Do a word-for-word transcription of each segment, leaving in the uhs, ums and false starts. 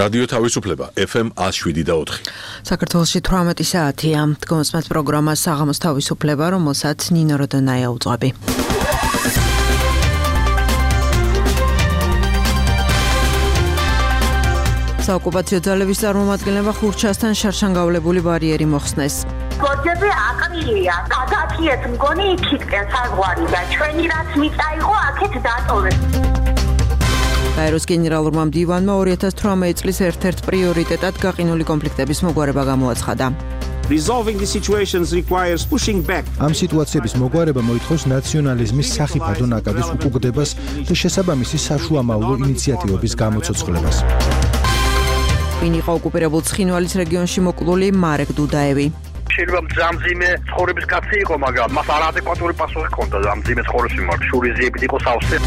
რადიო თავისუფლება ეფ ემ one oh seven და four. საქართველოში თვრამეტი საათია. დგომსმათ პროგრამა საღამოს თავისუფლება, რომელსაც ნინო როდონაია უძღვები. საოკუპაციო ძალების წარმომადგენლებმა ხურჩასთან შარშანგავლებული ბარიერი მოხსნეს. გოძები აყრილია, გადაჭიეთ მგონი იქითკენ საზღვარი და ჩვენი რაც მიწაიღო აქეთ დატოვეს. გაეროს გენერალურმა მდივანმა two thousand eighteen წლის ერთ-ერთ პრიორიტეტად გაყინული კონფლიქტების მოგვარება გამოაცხადა. Resolving the situations requires pushing back. ამ სიტუაციების მოგვარება მოითხოვს ნაციონალიზმის სახიფათო ნაკადის უკუგდებას და შესაბამისი საშუამავლო ინიციატივების გამოცოცხლებას. ვინ იყო ოკუპირებულ ცხინვალის რეგიონში მოკლული მარეკ დუდაევი? შეიძლება მძამძიმე ცხოვრების კაცი იყო, მაგრამ მას არაადეკვატური პასუხი ჰქონდა მძიმე ცხოვრების მიმართ, შურიზიებით იყო სავსე.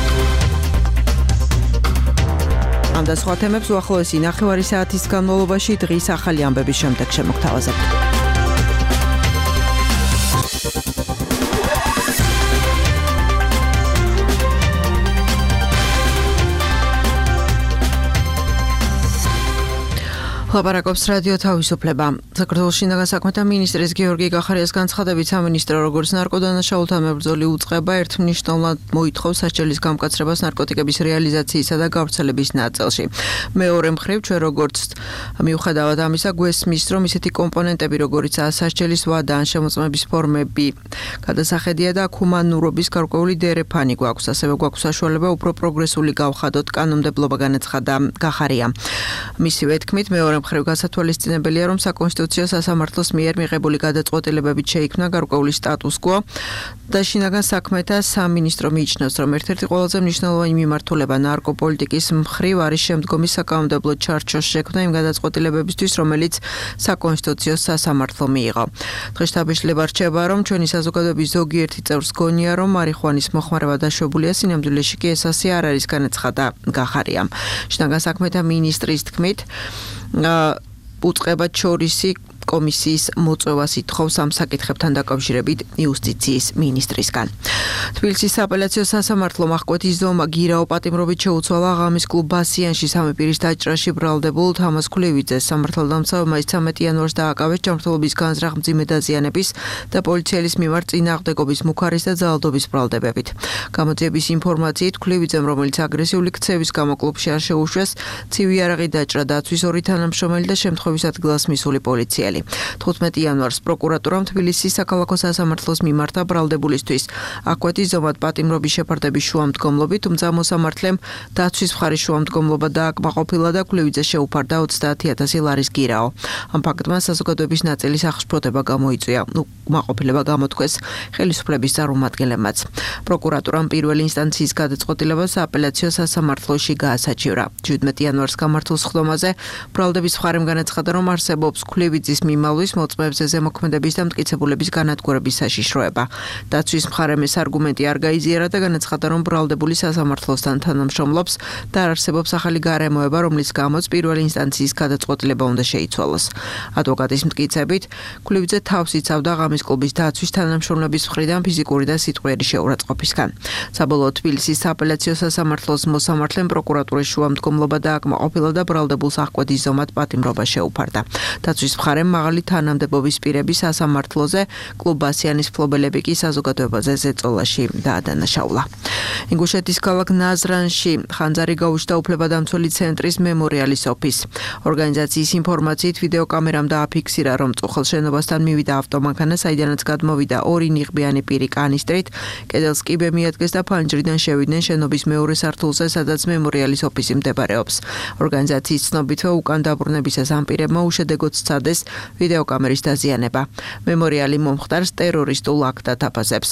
ამ და სხვა თემებს უახლოესი ნახევარი საათის განმავლობაში დღის ახალი ამბების შემდეგ შემოგთავაზებთ. ლაპარაკობს რადიო თავისუფლება. საქართველოს შინაგან საქმეთა მინისტრის გიორგი გახარიას განცხადებით, სამინისტრო როგორც ნარკოდანაშაულთა მებრძოლი უწყება ერთმნიშვნელად მოითხოვს სასჯელის გამკაცრებას ნარკოტიკების რეალიზაციისა და გავრცელების ნაწილში. მეორე მხრივ, ჩვენ როგორც მიუხედავად ამისა გვესმის, რომ ისეთი კომპონენტები, როგორიცაა სასჯელის ვადა ან შემოწმების ფორმები, გადასახედია და ჰუმანურობის გარკვეული დერეფანი გვაქვს, ასევე გვაქვს საშუალება უფრო პროგრესული გავხადოთ, კანონმდებლობა განაცხადა გახარია. მისივე თქმით, მეორე მხრივ გასათვალისწინებელია, რომ საკონსტიტუციო სასამართლოს მიერ მიღებული გადაწყვეტილებებით შეიქმნა გარკვეული სტატუს-კვო და შინაგან საქმეთა სამინისტრო მიიჩნევს, რომ ერთ-ერთი ყველაზე მნიშვნელოვანი მიმართულება ნარკოპოლიტიკის მხრივ არის შემდგომი საკანონმდებლო ჩარჩოს შექმნა იმ გადაწყვეტილებებისთვის, რომელიც საკონსტიტუციო სასამართლო მიიღო. დღესდღეობით რჩება, რომ ჩვენი საზოგადოების ზოგიერთი წევრს გონია, რომ მარიხუანის მოხმარება დაშვებულია, სინამდვილეში კი ეს ასე არ არის, განაცხადა გახარიამ. შინაგან საქმეთა მინისტრის თქმით, უწყება ჩორისი კომისიის მოწვევას ითხოვს ამ საკითხებთან დაკავშირებით იუსტიციის მინისტრისგან. თბილისის სააპელაციო სასამართლომ აღკვეთის ზომა გირაო პატიმრობით შეუცვალა ღამის კლუბ ბასიანში სამი პირის დაჭრაში ბრალდებულ თამაზ ქვლევიძეს. სამართალდამცავებმა ცამეტი იანვარს დააკავეს ჯანმრთელობის განზრახ მძიმე დაზიანების და პოლიციელის მიმართ წინააღმდეგობის მუქარის და ძალადობის ბრალდებებით. გამოძიების ინფორმაციით ქვლევიძემ, რომელიც აგრესიული ქცევის გამო კლუბში არ შეუშვეს, ცივი იარაღი დაჭრა დაცვის ორი თანამშრომელი და შემთხვევის ადგილას მისული პოლიციელი. თხუთმეტი იანვარს პროკურატურამ თბილისის საქალაქო სასამართლოს მიმართა ბრალდებულისთვის აღკვეთის ზომად პატიმრობის შეფარდების შუამდგომლობით, თუმცა მოსამართლემ დაცვის მხარის შუამდგომლობა დააკმაყოფილა და ქვლევიძე შეუფარდა ოცდაათი ათასი ლარის გირაო. ამ ფაქტმა საზოგადოების ნაწილის აღშფოთება გამოიწვია. უკმაყოფილება გამოთქვეს ხელისუფლების წარმომადგენლებმაც. პროკურატურამ პირველი ინსტანციის გადაწყვეტილება სააპელაციო სასამართლოში გაასაჩივრა. შვიდმეტი იანვარს გამართულ სხდომაზე ბრალდების მხარემ განაცხადა, რომ არსებობს ქვლევიძის მიმალვის მოწმეებზე ზემოქმედების და მტკიცებულების განადგურების საშიშროება. დაცვის მხარემ ეს არგუმენტი არ გაიზიარა და განაცხადა, რომ ბრალდებული სასამართლოსთან თანამშრომლობს და არ არსებობს ახალი გარემოება, რომლის გამოც პირველი ინსტანციის გადაწყვეტილება უნდა შეიცვალოს. ადვოკატის მტკიცებით, ქვლევიძე თავს იცავდა ღამის კლუბის დაცვის თანამშრომლების მხრიდან ფიზიკური და სიტყვიერი შეურაცხყოფისგან. საბოლოოდ თბილისის სააპელაციო სასამართლოს მოსამართლემ პროკურატურის შუამდგომლობა დააკმაყოფილა და ბრალდებულს აღკვეთის ზომად პატიმრობა შეუფარდა. დაცვის მხარემ მაღალი თანამდებობის პირები სასამართლოზე, კლუბ ბასიანის მფლობელები კი საზოგადოებაზე ზეწოლაში დაადანაშაულა. ინგუშეთის ქალაქ ნაზრანში ხანძარი გაუჩნდა უფლებადამცველი ცენტრის მემორიალის ოფისს. ორგანიზაციის ინფორმაციით ვიდეოკამერამ დააფიქსირა, რომ წუხელ შენობასთან მივიდა ავტომანქანა, საიდანაც გადმოვიდა ორი ნიღბიანი პირი კანისტრით, კედელს კიბე მიადგეს და ფანჯრიდან შევიდნენ შენობის მეორე სართულზე, სადაც მემორიალის ოფისი მდებარეობს. ორგანიზაციის ცნობითვე უკან დაბრუნებისას ამ პირებმა უშედეგოდ სცადეს ვიდეოკამერის დაზიანება. მემორიალი მომხდარს ტერორისტულ აქტად აფასებს.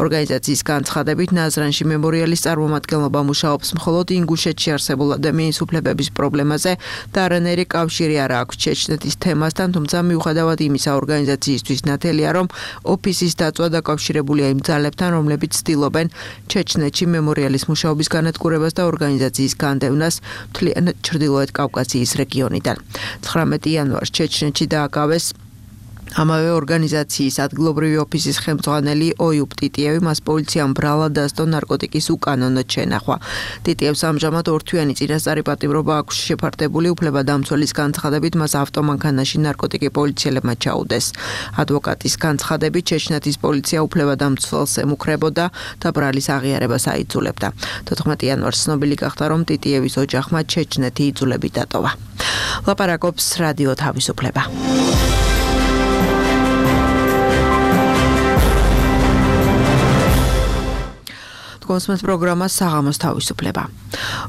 ორგანიზაციის განცხადებით, ნაზრანში მემორიალის წარმომადგენლობა მუშაობს მხოლოდ ინგუშეთში არსებულ ადამიანის უფლებების პრობლემაზე და არანაირი კავშირი არ აქვს ჩეჩნეთის თემასთან, თუმცა მიუხედავად იმისა, ორგანიზაციისთვის ნათელია, რომ ოფისის დაწვა დაკავშირებულია იმ ძალებთან, რომლებიც ცდილობენ ჩეჩნეთში მემორიალის მუშაობის განადგურებას და ორგანიზაციის განდევნას მთლიანად ჩრდილოეთ კავკასიის რეგიონიდან. ცხრამეტი იანვარს ჩეჩნეთში დააკავეს ამავე ორგანიზაციის ადგილობრივი ოფისის ხელმძღვანელი ოიუბ ტიტიევი მას პოლიციამ ბრალად დასდო ნარკოტიკის უკანონოდ შენახვა. ტიტიევს ამჟამად ორთვიანი წინასწარი პატიმრობა აქვს შეფარდებული, უფლებადამცველის განცხადებით მას ავტომანქანაში ნარკოტიკი პოლიციელებმა ჩაუდეს. ადვოკატის განცხადებით ჩეჩნეთის პოლიცია უფლებადამცველს ემუქრებოდა და ბრალის აღიარებას აიძულებდა. თოთხმეტი იანვარს ცნობილი გახდა, რომ ტიტიევის ოჯახმა ჩეჩნეთი იძულებით დატოვა. ლაპარაკობს რადიო თავისუფლება. კონსმეს პროგრამა საღამოს თავისუფლება.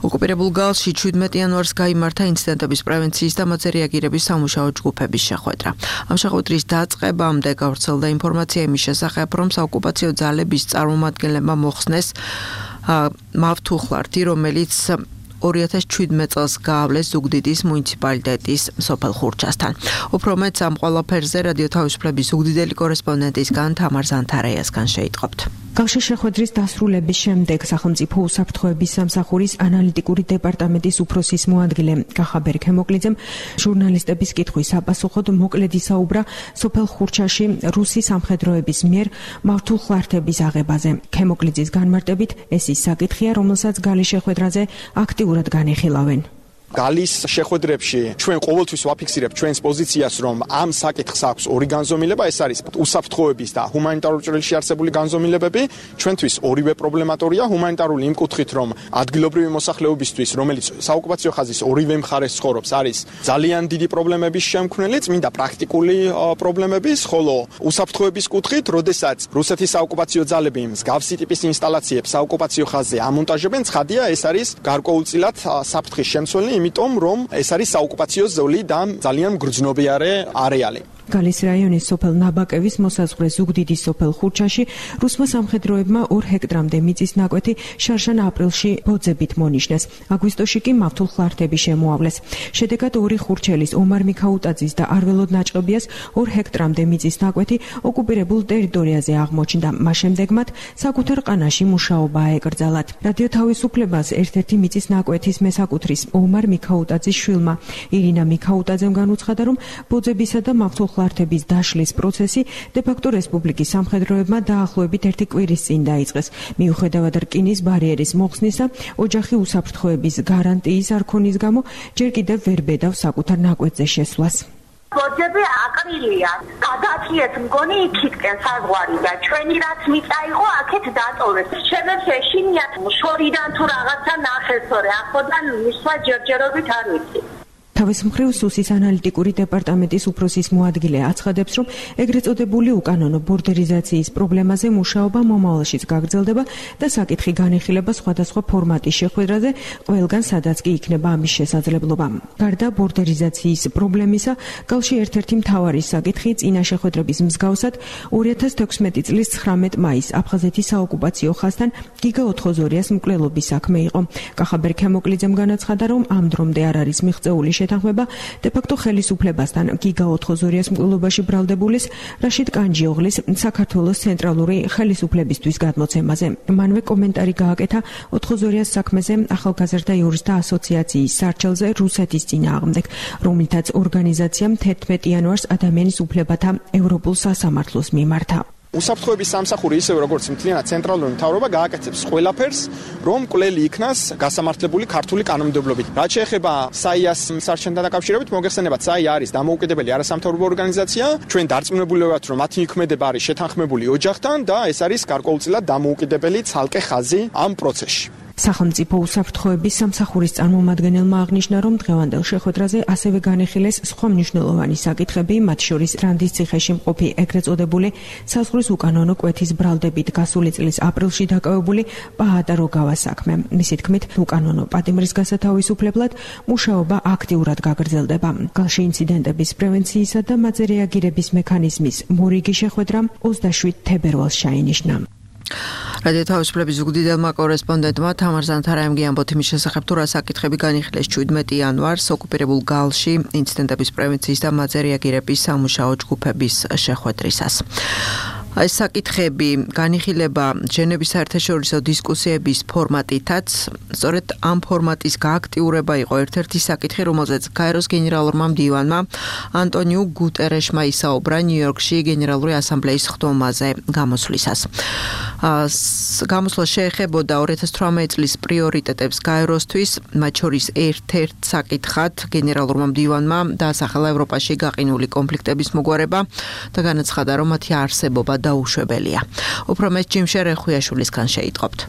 ოკუპირებულ გალში შვიდმეტი იანვარს გაიმართა ინციდენტების პრევენციის და მათზე რეაგირების სამუშაო ჯგუფების შეხვედრა. ამ შეხვედრის დაწყებამდე გავრცელდა ინფორმაცია იმის შესახებ, რომ საოკუპაციო ძალების წარმომადგენლებმა მოხსნეს მავთუხლართი, რომელიც ორი ათას შვიდმეტ წელს გაავლეს ზუგდიდის მუნიციპალიტეტის სოფელ ხურჩასთან. უფრო მეტს ამ ყველაფერზე რადიო თავისუფლების ზუგდიდელი კორესპონდენტისგან თამარ ზანთარაიასგან შეიტყობთ. გალში შეხვედრის დასრულების შემდეგ სახელმწიფო უსაფრთხოების სამსახურის ანალიტიკური დეპარტამენტის უფროსის მოადგილე კახაბერ ქემოკლიძემ ჟურნალისტების კითხვის საპასუხოდ მოკლედ ისაუბრა სოფელ ხურჩაში რუსი სამხედროების მიერ მავთუხლართების აღებაზე. ქემოკლიძის განმარტებით ეს ის საკითხია, რომელსაც გალის შეხვედრაზე აქტიურად განიხილავენ. გალის შეხვედრებში ჩვენ ყოველთვის ვაფიქსირებთ ჩვენს პოზიციას, რომ ამ საკითხს აქვს ორი განზომილება, ეს არის უსაფრთხოების და ჰუმანიტარულ ჭრილში არსებული განზომილებები. ჩვენთვის ორივე პრობლემატორია, ჰუმანიტარული იმ კუთხით, რომ ადგილობრივი მოსახლეობისთვის, რომელიც საოკუპაციო ხაზის ორივე მხარეს ცხოვრობს, არის ძალიან დიდი პრობლემების შემქმნელი, წმინდა პრაქტიკული პრობლემების, ხოლო უსაფრთხოების კუთხით, როდესაც რუსეთის საოკუპაციო ძალები მსგავსი ტიპის ინსტალაციებს საოკუპაციო ხაზზე ამონტაჟებენ, ცხადია, ეს არის გარკვეულწილად საფრთხის შემცველი, იმიტომ რომ ეს არის საოკუპაციო ზოლი და ძალიან მგრძნობიარე არეალი. გალის რაიონის სოფელ ნაბაკევის მოსაზღვრე ზუგდიდის სოფელ ხურჩაში რუსმა სამხედროებმა ორ ჰექტრამდე მიწის ნაკვეთი შარშან აპრილში ბოძებით მონიშნეს. აგვისტოში კი მავთუხლართები შემოავლეს. შედეგად ორი ხურჩელის ომარ მიქაუტაძის და არველოდ ნაჭყობიას ორ ჰექტრამდე მიწის ნაკვეთი ოკუპირებულ ტერიტორიაზე აღმოჩნდა. მას შემდეგ მათ საკუთარ ყანაში მუშაობა აეკრძალათ. რადიო თავისუფლებას ერთ-ერთი მიწის ნაკვეთის მესაკუთრის ომარ მიქაუტაძის შვილმა ირინა მიქაუტაძემ განუცხადა, რომ ბოძებისა და მავთუხლართების დაშლის პროცესი დე-ფაქტო რესპუბლიკის სამხედროებმა დაახლოებით ერთი კვირის წინ დაიწყეს. მიუხედავად რკინის ბარიერის მოხსნისა, ოჯახი უსაფრთხოების გარანტიის არ ქონის გამო ჯერ კიდევ ვერ ბედავს საკუთარ ნაკვეთზე შესვლას. ბოძები აყრილია. გადააქიეთ მგონი იქითკენ საზღვარი და ჩვენი რაც მიწა იყო აქეთ დატოვეს. ჩემებს ეშინიათ შორიდან თუ რაღაცა ნახესორე, ახლოდან მისვლა ჯერჯერობით არ ვიცი. თავის მხრივ სუსის ანალიტიკური დეპარტამენტის უფროსის მოადგილე აცხადებს, რომ ეგრეთ წოდებული უკანონო ბორდერიზაციის პრობლემაზე მუშაობა მომავალშიც გაგრძელდება და საკითხი განიხილება სხვადასხვა ფორმატის შეხვედრაზე, ყველგან სადაც კი იქნება ამის შესაძლებლობა. გარდა ბორდერიზაციის პრობლემისა, გალში ერთ-ერთი მთავარი საკითხი წინა შეხვედრების მსგავსად ორი ათას თექვსმეტი წლის ცხრამეტ მაისს აფხაზეთის საოკუპაციო ხაზთან გიგა ოთხოზორიას მკვლელობის საქმე იყო. კახაბერ ქემოკლიძემ განაცხადა, რომ ამ დრომდე არ არის მიღწეული შეთანხმება დე-ფაქტო ხელისუფლებასთან გიგა ოთხოზორიას მკვლელობაში ბრალდებულის რაშიდ კანჯიოღლის საქართველოს ცენტრალური ხელისუფლებისთვის გადმოცემაზე. მანვე კომენტარი გააკეთა ოთხოზორიას საქმეზე ახალგაზრდა იურისტთა ასოციაციის სარჩელზე რუსეთის წინააღმდეგ, რომლითაც ორგანიზაციამ თერთმეტი იანვარს ადამიანის უფლებათა ევროპულ სასამართლოს მიმართა. უსაფრთხოების სამსახური ისევე როგორც მთლიანად ცენტრალური მთავრობა გააკეთებს ყველაფერს, რომ მკვლელი იქნას გასამართლებული ქართული კანონმდებლობით. რაც შეეხება საიას სარჩენთან დაკავშირებით, მოგეხსენებათ, საია არის დამოუკიდებელი არასამთავრობო ორგანიზაცია. ჩვენ დარწმუნებული ვართ, რომ მათი იქმედება არის შეთანხმებული ოჯახთან და ეს არის გარკვეულწილად დამოუკიდებელი ცალკე ხაზი ამ პროცესში. სახელმწიფო უსაფრთხოების სამსახურის წარმომადგენელმა აღნიშნა, რომ დღევანდელ შეხვედრაზე ასევე განეხილეს სხვა მნიშვნელოვანი საკითხები, მათ შორის რანდის ციხეში მყოფი ეგრეთ წოდებული საზღვრის უკანონო კვეთის ბრალდებით გასული წლის აპრილში დაკავებული პაატა როგავას საქმე. მისი თქმით, უკანონო პატიმრის გასათავისუფლებლად მუშაობა აქტიურად გაგრძელდება. გალში ინციდენტების პრევენციისა და მათზე რეაგირების მექანიზმის მორიგი შეხვედრა ოცდაშვიდ თებერვალს ჩაინიშნა. რადიო თავისუფლების ზუგდიდელმა კორესპონდენტმა თამარ ზანთარაიმ გიამბოთ იმის შესახებ, თუ რა საკითხები განიხილეს შვიდმეტი იანვარს ოკუპირებულ გალში ინციდენტების პრევენციის და მათზე რეაგირების სამუშაო ჯგუფების შეხვედრისას. ეს საკითხები განიხილება ჟენევის საერთაშორისო დისკუსიების ფორმატითაც. სწორედ ამ ფორმატის გააქტიურება იყო ერთ-ერთი საკითხი, რომელზეც გაეროს გენერალურმა მდივანმა ანტონიუ გუტერეშმა ისაუბრა ნიუ-იორკში გენერალური ასამბლეის ხდომაზე გამოსვლისას. გამოსვლა შეეხებოდა ორი ათას თვრამეტი წლის პრიორიტეტებს გაეროსთვის, მათ შორის ერთ-ერთ საკითხად გენერალურმა მდივანმა დაასახელა ევროპაში გაყინული კონფლიქტების მოგვარება და განაცხადა, რომ მათი არსებობა დაუშვებელია. უფრო მეტ ჯიმ შერეხუიაშვილისგან შეიტყობთ.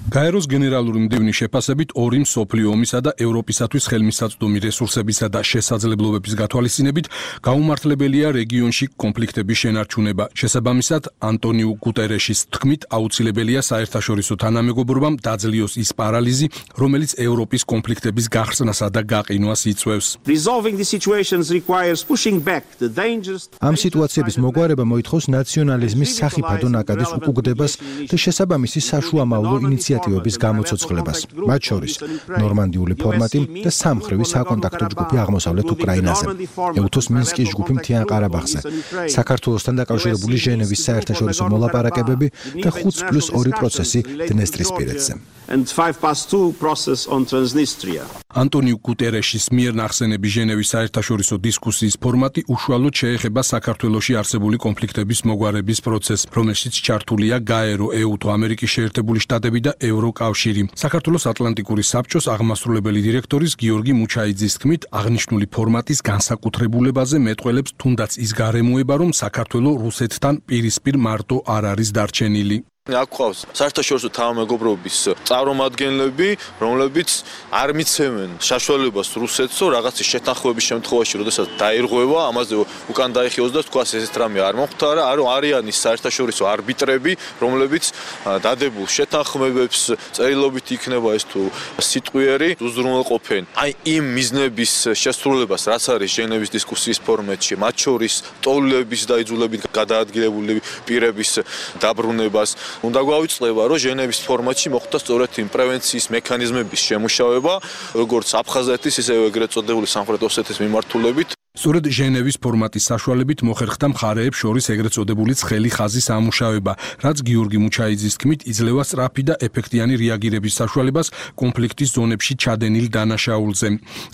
გაეროს გენერალური მდივნის შეფასებით ორი მსოფლიო ომისა და ევროპისათვის ხელმისაწვდომი რესურსებისა და შესაძლებლობების გათვალისწინებით გაუმართლებელია რეგიონში კონფლიქტების შენარჩუნება. შესაბამისად, ანტონიუ გუტერეშის თქმით, აუცილებელია საერთაშორისო თანამეგობრობამ დაძლიოს ის პარალიზი, რომელიც ევროპის კონფლიქტების გახსნასა და გაყინვას იწვევს. ამ სიტუაციების მოგვარება მოითხოვს ნაციონალიზმის სახიფათო ნაკადის უკუგდებას და შესაბამისი საშუამავლო ინიციატივას ინიციატივების გამოცოცხლებას, მათ შორის ნორმანდიული ფორმატი და სამხრივი საკონტაქტო ჯგუფი აღმოსავლეთ უკრაინაზე, ეუთოს მინსკის ჯგუფი მთიან ყარაბაღზე, საქართველოსთან დაკავშირებული ჟენევის საერთაშორისო მოლაპარაკებები და ხუთ პლუს ორი პროცესი დნესტრისპირეთზე. ანტონიუ გუტერეშის მიერ ნახსენები ჟენევის საერთაშორისო დისკუსიის ფორმატი უშუალოდ შეეხება საქართველოში არსებული კონფლიქტების მოგვარების პროცესს, რომელშიც ჩართულია გაერო, ეუთო, ამერიკის შეერთებული შტატები და ევროკავშირი. საქართველოს ატლანტიკური საბჭოს აღმასრულებელი დირექტორის გიორგი მუჩაიძის თქმით, აღნიშნული ფორმატის განსაკუთრებულებაზე მეტყველებს თუნდაც ის გარემოება, რომ საქართველო რუსეთთან პირისპირ მარტო არ არის დარჩენილი. აქ ყავს საერთაშორისო თანამეგობრობის წარმომადგენლები, რომლებიც არ მიცემენ საშუალებას რუსეთს, რომ რაღაცის შეთანხმების შემთხვევაში, როდესაც დაირღვევა, ამაზე უკან დაიხიოს და თქვას ესეთ რამე არ მომხდარა, რომ არიან ის საერთაშორისო არბიტრები, რომლებიც დადებულ შეთანხმებებს წერილობით იქნება ეს თუ სიტყვიერი უზრუნველყოფენ. აი იმ მიზნების შესრულებას, რაც არის ჟენევის დისკუსიის ფორმატში, მათ შორის ტოლების და იძულებით გადაადგილებული პირების დაბრუნებას უნდა გვავიწყდება, რომ ჟენევის ფორმატში მოხდა სწორედ იმ პრევენციის მექანიზმების შემუშავება, როგორც აფხაზეთის, ისევე ეგრეთ წოდებული სამხრეთ ოსეთის მიმართულებით. სწორედ ჟენევის ფორმატის საშუალებით მოხერხდა მხარეებს შორის ეგრეთ წოდებული ცხელი ხაზის ამუშავება, რაც გიორგი მუჩაიძის თქმით იძლევა სწრაფი და ეფექტიანი რეაგირების საშუალებას კონფლიქტის ზონებში ჩადენილ დანაშაულზე.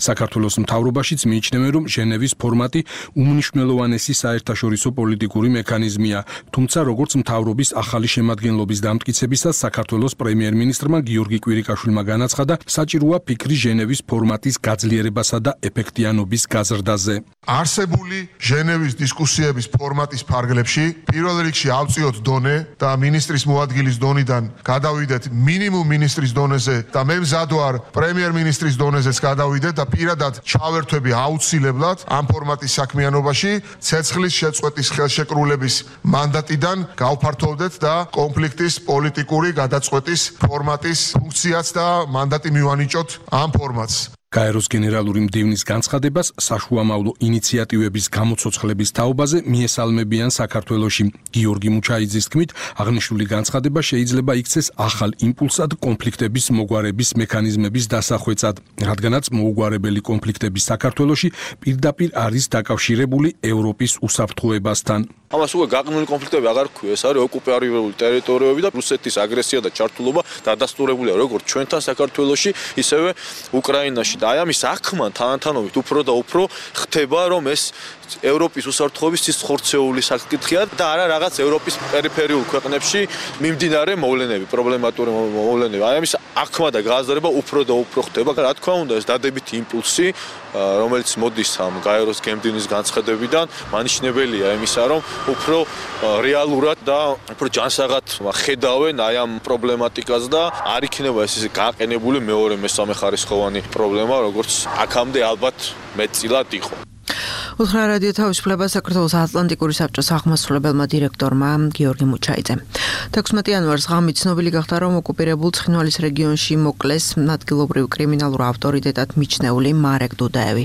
საქართველოს მთავრობაშიც მიიჩნევენ, რომ ჟენევის ფორმატი უმნიშვნელოვანესი საერთაშორისო პოლიტიკური მექანიზმია, თუმცა როგორც მთავრობის ახალი შემადგენლობის დამტკიცებისას საქართველოს პრემიერ-მინისტრმა გიორგი კვირიკაშვილმა განაცხადა, საჭიროა ფიქრი ჟენევის ფორმატის გაძლიერებასა და ეფექტიანობის გაზრდაზე. არსებული ჟენევის დისკუსიების ფორმატის ფარგლებში პირველ რიგში ავწიოთ დონე და მინისტრის მოადგილის დონიდან გადავიდეთ მინიმუმ მინისტრის დონეზე და მე მზად ვარ პრემიერ-მინისტრის დონეზეც გადავიდეთ და პირადად ჩავერთვები აუცილებლად ამ ფორმატის საქმიანობაში ცეცხლის შეწყვეტის ხელშეკრულების მანდატიდან გავფართოვდეთ და კონფლიქტის პოლიტიკური გადაწყვეტის ფორმატის ფუნქციაც და მანდატი მივანიჭოთ ამ ფორმატს. გაეროს გენერალური მდივნის განცხადებას საშუამავლო ინიციატივების გამოცოცხლების თაობაზე მიესალმებიან საქართველოში. გიორგი მუჩაიძის თქმით, აღნიშნული განცხადება შეიძლება იქცეს ახალ იმპულსად კონფლიქტების მოგვარების მექანიზმების დასახვეწად, რადგანაც მოუგვარებელი კონფლიქტები საქართველოში პირდაპირ არის დაკავშირებული ევროპის უსაფრთხოებასთან. ამას უკვე გაყინული კონფლიქტები აღარ ქვია, ეს არის ოკუპირებული ტერიტორიები და რუსეთის აგრესია და ჩართულობა დადასტურებულია როგორც ჩვენთან საქართველოში, ისევე უკრაინაში. და აი ამის აღქმა თანათანობით უფრო და უფრო ხდება, რომ ეს ევროპის უსაფრთხოების ის ხორცეული საკითხია და არა რაღაც ევროპის პერიფერიულ ქვეყნებში მიმდინარე მოვლენები, პრობლემატური მოვლენები. აი ამის აღქმა და გააზრება უფრო და უფრო ხდება. რა თქმა უნდა, ეს დადებითი იმპულსი, რომელიც მოდის ამ გაეროს გემდივნის განცხადებიდან, მანიშნებელია იმისა, რომ უფრო რეალურად და უფრო ჯანსაღად ხედავენ აი ამ პრობლემატიკას და არ იქნება ეს ისე გაყენებული მეორე მესამე ხარისხოვანი პრობლემა, როგორც აქამდე ალბათ მეტწილად იყო. უთხრა რადიო თავისუფლება საქართველოს ატლანტიკური საბჭოს აღმასრულებელმა დირექტორმა გიორგი მუჩაიძემ. თექვსმეტი იანვარს ღამით ცნობილი გახდა, რომ ოკუპირებულ ცხინვალის რეგიონში მოკლეს ადგილობრივ კრიმინალურ ავტორიტეტად მიჩნეული მარეკ დუდაევი.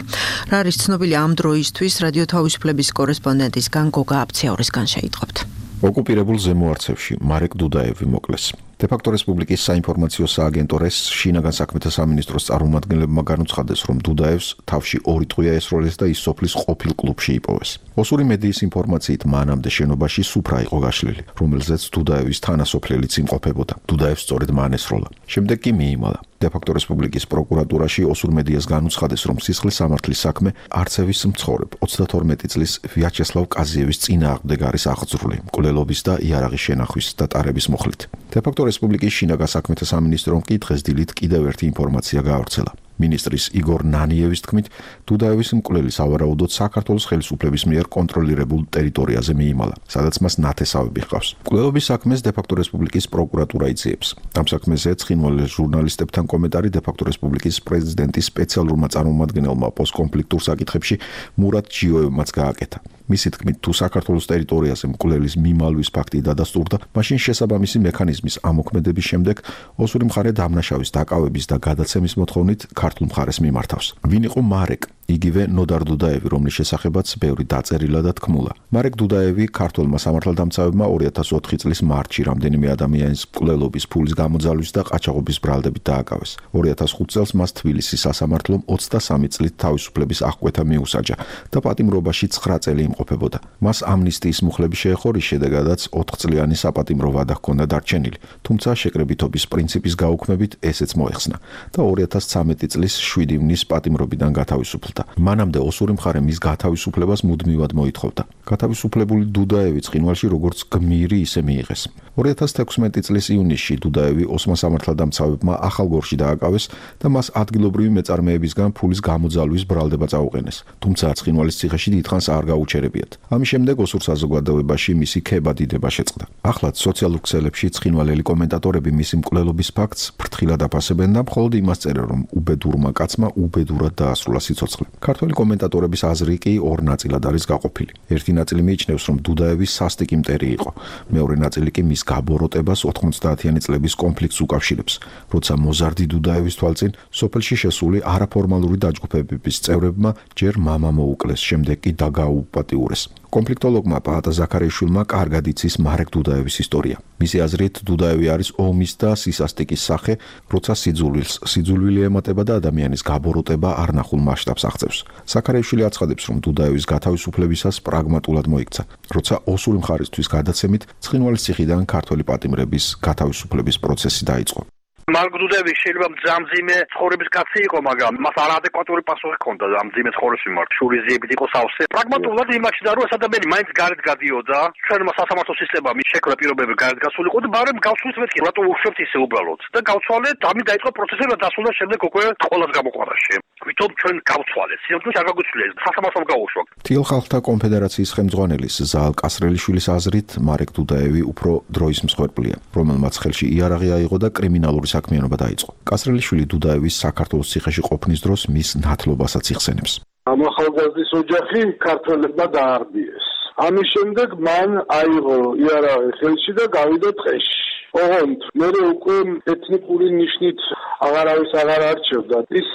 რა არის ცნობილი ამ დროისთვის, რადიო თავისუფლების კორესპონდენტისგან გოგა აფციაურისგან შეიტყობთ. ოკუპირებულ ზემო არცევში მარეკ დუდაევი მოკლეს. დე-ფაქტო რესპუბლიკის საინფორმაციო სააგენტოს შინაგან საქმეთა სამინისტროს წარმომადგენლებმა განუცხადეს, რომ დუდაევს თავში ორი ტყვია ესროლეს და ის სოფლის ყოფილ კლუბში იპოვეს. ოსური მედიის ინფორმაციით მანამდე შენობაში სუფრა იყო გაშლილი, რომელზეც დუდაევის თანასოფლელიც იმყოფებოდა. დუდაევს სწორედ მან ესროლა. შემდეგ კი მიიმალა. დე-ფაქტო რესპუბლიკის პროკურატურაში ოსურ მედიას განუცხადეს, რომ სისხლის სამართლის საქმე არცევის მცხოვრებ ოცდათორმეტი წლის ვიაჩესლავ კაზიევის წინააღმდეგ არის აღძრული მკვლელობის და იარაღის შენახვის და ტარების მუხლით. დე-ფაქტო რესპუბლიკის შინაგან საქმეთა სამინისტრომ კი დღესდილით კიდევ ერთი ინფორმაცია გაავრცელა. მინისტრის იგორ ნანიევის თქმით, დუდაევის მკვლელი სავარაუდოდ საქართველოს ხელისუფლების მიერ კონტროლირებულ ტერიტორიაზე მიიმალა, სადაც მას ნათესავები ჰყავს. მკვლელობის საქმეს დე-ფაქტო რესპუბლიკის პროკურატურა იძიებს. ამ საქმეზე ცხინვალე ჟურნალისტებთან კომენტარი დე-ფაქტო რესპუბლიკის პრეზიდენტის სპეციალურმა წარმომადგენელმა პოსტკონფლიქტურ საკითხებში მურატ ჯიოევმაც გააკეთა. მისი თქმით, თუ საქართველოს ტერიტორიაზე მკვლელის მიმალვის ფაქტი დადასტურდა, მაშინ შესაბამისი მექანიზმის ამოქმედების შემდეგ ოსური მხარე დამნაშავის დაკავების და გადაცემის მოთხოვნით ქართულ მხარეს მიმართავს. ვინ იყო მარეკ? იგივე ნოდარ დუდაევი, რომლის შესახებაც ბევრი დაწერილა და თქმულა. მარეკ დუდაევი ქართველმა სამართალდამცავებმა ორი ათას ოთხი წლის მარტში რამდენიმე ადამიანის მკვლელობის ფულის გამოძალვის და ყაჩაღობის ბრალდებით დააკავეს. ორი ათას ხუთ წელს მას თბილისის სასამართლომ ოცდასამი წლით თავისუფლების აღკვეთა მიუსაჯა და პატიმრობაში ცხრა წელი იმყოფებოდა. მას ამნისტიის მუხლები შეეხო, რის შედეგადაც ოთხწლიანი საპატიმრო ვადა ჰქონდა დარჩენილი, თუმცა შეკრებითობის პრინციპის გაუქმებით ესეც მოეხსნა და ორი ათას ცხრამეტი წლის შვიდი ივნის პატიმრობიდან გათავისუფლდა. მანამდე ოსური მხარე მის გათავისუფლებას მუდმივად მოითხოვდა. გათავისუფლებული დუდაევი ცხინვალში როგორც გმირი ისე მიიღეს. ორი ათას თექვსმეტი წლის ივნისში დუდაევი ოსმა სამართალდამცავებმა ახალგორში დააკავეს და მას ადგილობრივი მეწარმეებისგან ფულის გამოძალვის ბრალდება წაუყენეს. თუმცა ცხინვალის ციხეში დიდხანს არ გაუჩერებიათ. ამის შემდეგ ოსურ საზოგადოებაში მისი ქება დიდება შეწყდა. ახლაც სოციალურ ქსელებში ცხინვალელი კომენტატორები მისი მკვლელობის ფაქტს ფრთხილად აფასებენ და მხოლოდ იმას წერენ, რომ უბედურმა კაცმა უბედურად დაასრულა სიცოცხლე. ქართველი კომენტატორების აზრი კი ორ ნაწილად არის გაყოფილი. ერთი ნაწილი მიიჩნევს, რომ დუდაევი სასტიკი მტერი იყო. მეორე ნაწილი კი მის გაბოროტებას ოთხმოცდაათიანი წლების კონფლიქტს უკავშირებს, როცა მოზარდი დუდაევის თვალწინ სოფელში შესული არაფორმალური დაჯგუფებების წევრებმა ჯერ მამა მოუკლეს, შემდეგ კი დაგაუპატიურეს. კონფლიქტოლოგმა პაატა ზაქარიშვილმა კარგად იცის მარეკ დუდაევის ისტორია. მისი აზრით, დუდაევი არის ომის და სისასტიკის სახე, როცა სიძულვილს სიძულვილი ემატება და ადამიანის გაბოროტება არნახულ მასშტაბს აღწევს. ზაქარიშვილი აცხადებს, რომ დუდაევის გათავისუფლებისას პრაგმატულად მოიქცა, როცა ოსური მხარისთვის გადაცემით ცხინვალის ციხიდან ქართველი პატიმრების გათავისუფლების პროცესი დაიწყო. მარეკ დუდაევი შეიძლება მძამძიმე ცხოვრების კაცი იყო, მაგრამ მას არაადეკვატური პასუხი ჰქონდა მძიმე ცხოვრების მიმართ. შურიზიებით იყო სავსე. პრაგმატულად იმაში და რომ ეს ადამიანი მაინც გარეთ გადიოდა, ჩვენმა სასამართლო სისტემამ შექმნა პირობები გარეთ გასულიყო და ბარემ გავცვლით მეთქი, რატო უშვებთ ისე უბრალოდ. და გავცვალეთ, ამით დაიწყო პროცესი და დასრულდა შემდეგ უკვე ყოველს გამოყვანაში. ვითომ ჩვენ გავცვალეთ, სიამოვნებაში არ გაგვიცვლეს, სასამართლომ გაუშვათ. თიელ ხალხთა კონფედერაციის ხელმძღვანელის ზაალ კასრელიშვილის აზრით, მარეკ დუდაევი უფრო დროის მსხვერპლია, რომელმაც ხელში იარაღი აიღო და კრიმინალური საქმიანობა დაიწყო. კასრელიშვილი დუდაევის საქართველოს ციხეში ყოფნის დროს მის ნათლობასაც იხსენებს. ამ ახალგაზრდის ოჯახი ქართველებმა დაარბიეს. ამის შემდეგ მან აიღო იარაღი ხელში და გავიდა ტყეში. ოღონდ მე უკვე ეთნიკური ნიშნით აღარავის აღარ არჩევდა. ის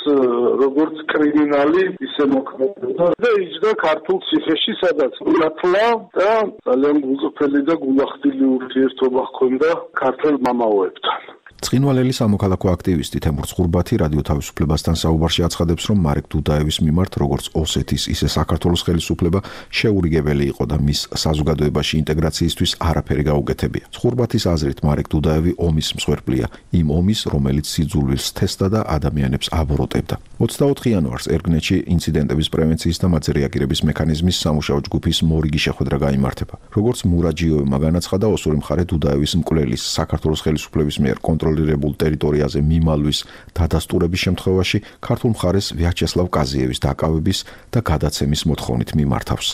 როგორც კრიმინალი ისე მოქმედებდა და იჯდა ქართულ ციხეში, სადაც ნათლა და ძალიან გულწრფელი და გულახდილი ურთიერთობა ჰქონდა ქართულ მამაოებთან. ცხინვალელი სამოქალაქო აქტივისტი თემურ ცხურბათი რადიო თავისუფლებასთან საუბარში აცხადებს, რომ მარეკ დუდაევის მიმართ როგორც ოსეთის, ისე საქართველოს ხელისუფლება შეურიგებელი იყო და მის საზოგადოებაში ინტეგრაციისთვის არაფერი გაუგეთებია. ცხურბათის აზრით, მარეკ დუდაევი ომის მსხვერპლია, იმ ომის, რომელიც სიძულვილს თესდა და ადამიანებს აბოროტებდა. ოცდაოთხი იანვარს ერგნეთში ინციდენტების პრევენციის და მათზე რეაგირების მექანიზმის სამუშაო ჯგუფის მორიგი შეხვედრა გაიმართება. როგორც მურაჯიოვმა განაცხადა, ოსური მხარე დუდაევის მკვლელის საქართველოს ხელისუფლების მიერ კონტროლირებულ ტერიტორიაზე მიმალვის დადასტურების შემთხვევაში ქართულ მხარეს ვიაჩესლავ კაზიევის დაკავების და გადაცემის მოთხოვნით მიმართავს.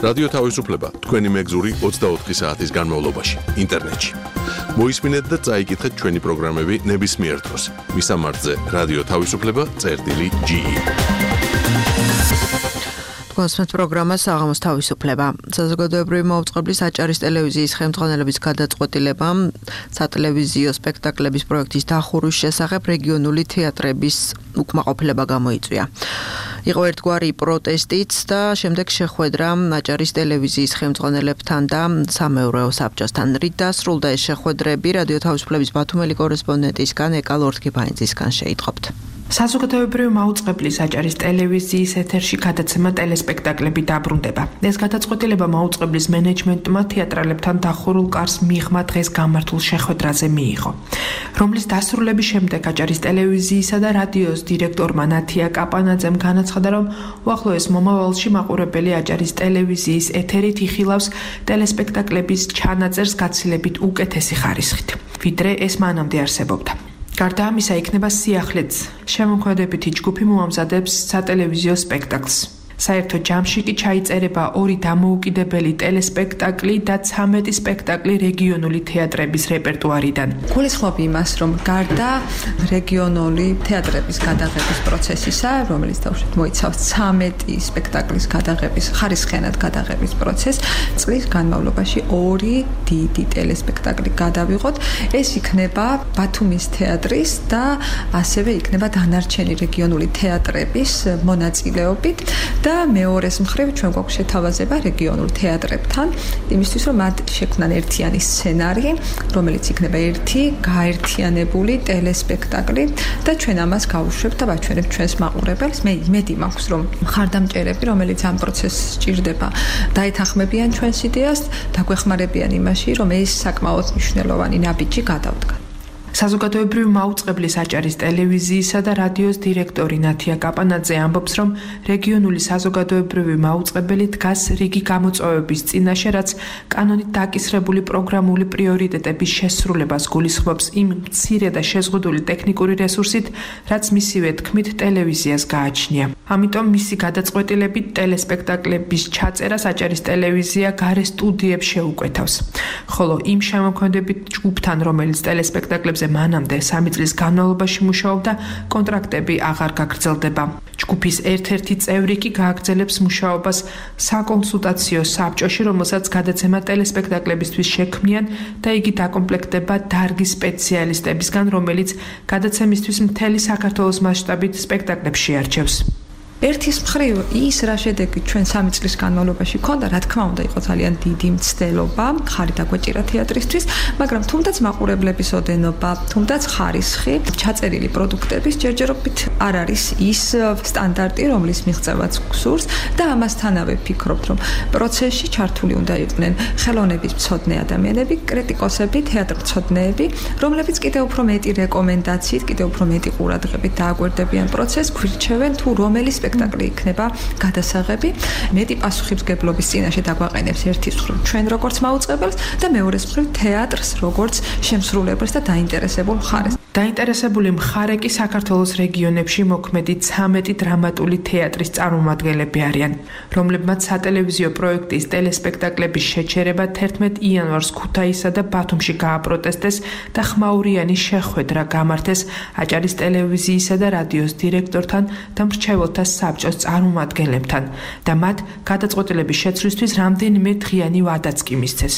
რადიო თავისუფლება თქვენი მეგზური ოცდაოთხი საათის განმავლობაში ინტერნეტში. მოისმინეთ და წაიკითხეთ ჩვენი პროგრამები ნებისმიერ დროს. მისამართზე რადიო თავისუფლება წერტილი ჯი ი. კონსმეთ პროგრამა საღამოს თავისუფლება. საზოგადოებრივი მაუწყებლის აჭარის ტელევიზიის ხელმძღვანელობის გადაწყვეტილებამ სატელევიზიო სპექტაკლების პროექტის დახურვის შესახებ რეგიონული თეატრების უკმაყოფილება გამოიწვია. იყო ერთგვარი პროტესტიც და შემდეგ შეხვედრა აჭარის ტელევიზიის ხელმძღვანელებთან და სამეურვეო საბჭოსთან. რით დასრულდა ეს შეხვედრები რადიო თავისუფლების ბათუმელი კორესპონდენტისგან ეკა ლორთქიფანიძისგან შეიტყობთ. საზოგადოებრივი მაუწყებლის აჭარის ტელევიზიის ეთერში გადაცემა ტელესპექტაკლები დაბრუნდება. ეს გადაწყვეტილება მაუწყებლის მენეჯმენტმა თეატრალებთან დახურულ კარს მიღმა დღეს გამართულ შეხვედრაზე მიიღო, რომლის დასრულების შემდეგ აჭარის ტელევიზიისა და რადიოს დირექტორმა ნათია კაპანაძემ განაცხადა, რომ უახლოეს მომავალში მაყურებელი აჭარის ტელევიზიის ეთერით იხილავს ტელესპექტაკლების ჩანაწერს გაცილებით უკეთესი ხარისხით, ვიდრე ეს მანამდე არსებობდა. გარდა ამისა, იქნება სიახლეც შემოქმედებითი ჯგუფი მოამზადებს სატელევიზიო სპექტაკლს. საერთო ჯამში კი ჩაიწერება ორი დამოუკიდებელი ტელესპექტაკლი და ცამეტი სპექტაკლი რეგიონული თეატრების რეპერტუარიდან. გულისხმობ იმას, რომ გარდა რეგიონული თეატრების გადაღების პროცესისა, რომელიც თავშეთ მოიცავს ცამეტი სპექტაკლის გადაღების, ხარისხიანად გადაღების პროცესს, წლის განმავლობაში ორი დიდი ტელესპექტაკლი გადავიღოთ. ეს იქნება ბათუმის თეატრის და ასევე იქნება დანარჩენი რეგიონული თეატრების მონაწილეობით და მეორეს მხრივ ჩვენ გვაქვს შეთავაზება რეგიონულ თეატრებთან, იმისთვის რომ მათ შექმნან ერთიანი სცენარი, რომელიც იქნება ერთი გაერთიანებული ტელესპექტაკლი და ჩვენ ამას გავუშვებთ და ვაჩვენებთ ჩვენს მაყურებელს. მე იმედი მაქვს, რომ მხარდამჭერები, რომელიც ამ პროცესს სჭირდება, დაეთანხმებიან ჩვენს იდეას და გვეხმარებიან იმაში, რომ ეს საკმაოდ მნიშვნელოვანი ნაბიჯი გადავდგა. საზოგადოებრივი მაუწყებლის აჭარის ტელევიზიისა და რადიოს დირექტორი ნათია კაპანაძე ამბობს, რომ რეგიონული საზოგადოებრივი მაუწყებელი დგას რიგი გამოწვევების წინაშე, რაც კანონით დაკისრებული პროგრამული პრიორიტეტების შესრულებას გულისხმობს იმ მცირე და შეზღუდული ტექნიკური რესურსით, რაც მისივე თქმით ტელევიზიას გააჩნია. ამიტომ მისი გადაწყვეტილებით ტელესპექტაკლების ჩაწერას აჭარის ტელევიზია გარე სტუდიებს შეუკვეთავს. ხოლო იმ შემოქმედებით ჯგუფთან, რომელიც ტელესპექტაკლებს მანამდე სამი წლის განმავლობაში მუშაობდა, კონტრაქტები აღარ გაგრძელდება. ჯგუფის ერთ-ერთი წევრი კი გააგრძელებს მუშაობას საკონსულტაციო საბჭოში, რომელსაც გადაცემა ტელესპექტაკლებისთვის შექმნიან და იგი დაკომპლექტდება დარგის სპეციალისტებისგან, რომელიც გადაცემისთვის მთელი საქართველოს მასშტაბით სპექტაკლებს შეარჩევს. ერთის მხრივ ის რა შედეგი ჩვენ სამი წლის განმავლობაში ქონდა, რა თქმა უნდა, იყო ძალიან დიდი მცდელობა, ხარი დაგვეჭირა თეატრისთვის, მაგრამ თუნდაც მაყურებლების ოდენობა, თუნდაც ხარისხი, ჩაწერილი პროდუქტების ჯერჯერობით არ არის ის სტანდარტი, რომლის მიღწევაც გსურს და ამასთანავე ვფიქრობთ, რომ პროცესში ჩართული უნდა იყვნენ ხელოვნების მცოდნე ადამიანები, კრიტიკოსები, თეატრმცოდნეები, რომლებიც კიდევ უფრო მეტი რეკომენდაციით, კიდევ უფრო მეტი ყურადღებით დააკვირდებიან პროცესს, გვირჩევენ თუ რომელი სპექტაკლი იქნება გადასაღები, მეტი პასუხისმგებლობის წინაშე დაგვაყენებს ერთის მხრივ ჩვენ როგორც მაუწყებელს და მეორეს მხრივ თეატრს როგორც შემსრულებელს და დაინტერესებულ მხარეს. დაინტერესებული მხარე კი საქართველოს რეგიონებში მოქმედი ცამეტი დრამატული თეატრის წარმომადგენლები არიან, რომლებმაც სატელევიზიო პროექტის ტელესპექტაკლების შეჩერება თერთმეტ იანვარს ქუთაისსა და ბათუმში გააპროტესტეს და ხმაურიანი შეხვედრა გამართეს აჭარის ტელევიზიისა და რადიოს დირექტორთან და მრჩეველთა საბჭოს წარმომადგენლებთან და მათ გადაწყვეტილების შეცვლისთვის რამდენიმე დღიანი ვადაც კი მისცეს.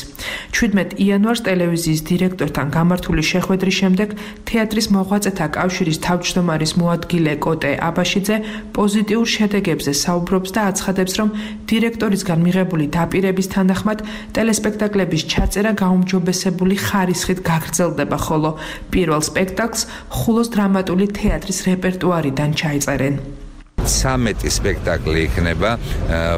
ჩვიდმეტ იანვარს ტელევიზიის დირექტორთან გამართული შეხვედრის შემდეგ თეატრის მოღვაწეთა კავშირის თავმჯდომარის მოადგილე კოტე აბაშიძე პოზიტიურ შედეგებზე საუბრობს და აცხადებს, რომ დირექტორისგან მიღებული დაპირების თანახმად ტელესპექტაკლების ჩაწერა გაუმჯობესებული ხარისხით გაგრძელდება, ხოლო პირველ სპექტაკლს ხულოს დრამატული თეატრის რეპერტუარიდან ჩაიწერენ. ცამეტი სპექტაკლი იქნება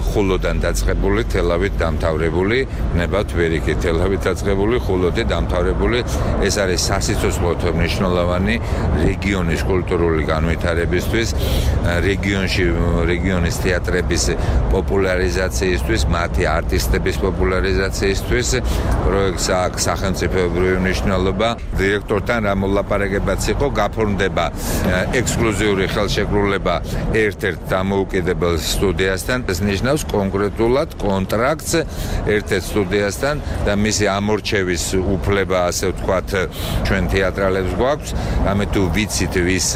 ხულოდან დაწყებული, თელავით დამთავრებული, იქნება თვერიქით თელავით დაწყებული, ხულოდი დამთავრებული. ეს არის სასიცოცხლო მნიშვნელოვანი რეგიონის კულტურული განვითარებისთვის, რეგიონში რეგიონის თეატრების პოპულარიზაციისთვის, მათი არტისტების პოპულარიზაციისთვის. პროექტს აქვს სახელმწიფოებრივი მნიშვნელობა. დირექტორთან რა მოლაპარაკებაც იყო, გაფორმდება ექსკლუზიური ხელშეკრულება ერთ-ერთ დამოუკიდებელ სტუდიასთან. ეს ნიშნავს კონკრეტულად კონტრაქტს ერთ-ერთ სტუდიასთან და მისი ამორჩევის უფლება, ასე ვთქვათ, ჩვენ თეატრალებს გვაქვს. ამე თუ ვიცით, ვის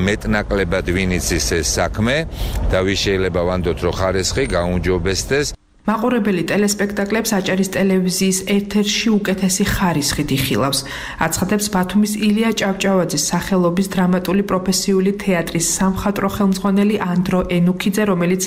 მეტნაკლებად ვინ იცის ეს საქმე და ვის შეიძლება ვანდოთ, რომ ხარისხი გაუმჯობესდეს. მაყურებელი ტელესპექტაკლებს აჭარის ტელევიზიის ეთერში უკეთესი ხარისხით იხილავს. აცხადებს ბათუმის ილია ჭავჭავაძის სახელობის დრამატული პროფესიული თეატრის სამხატვრო ხელმძღვანელი ანდრო ენუქიძე, რომელიც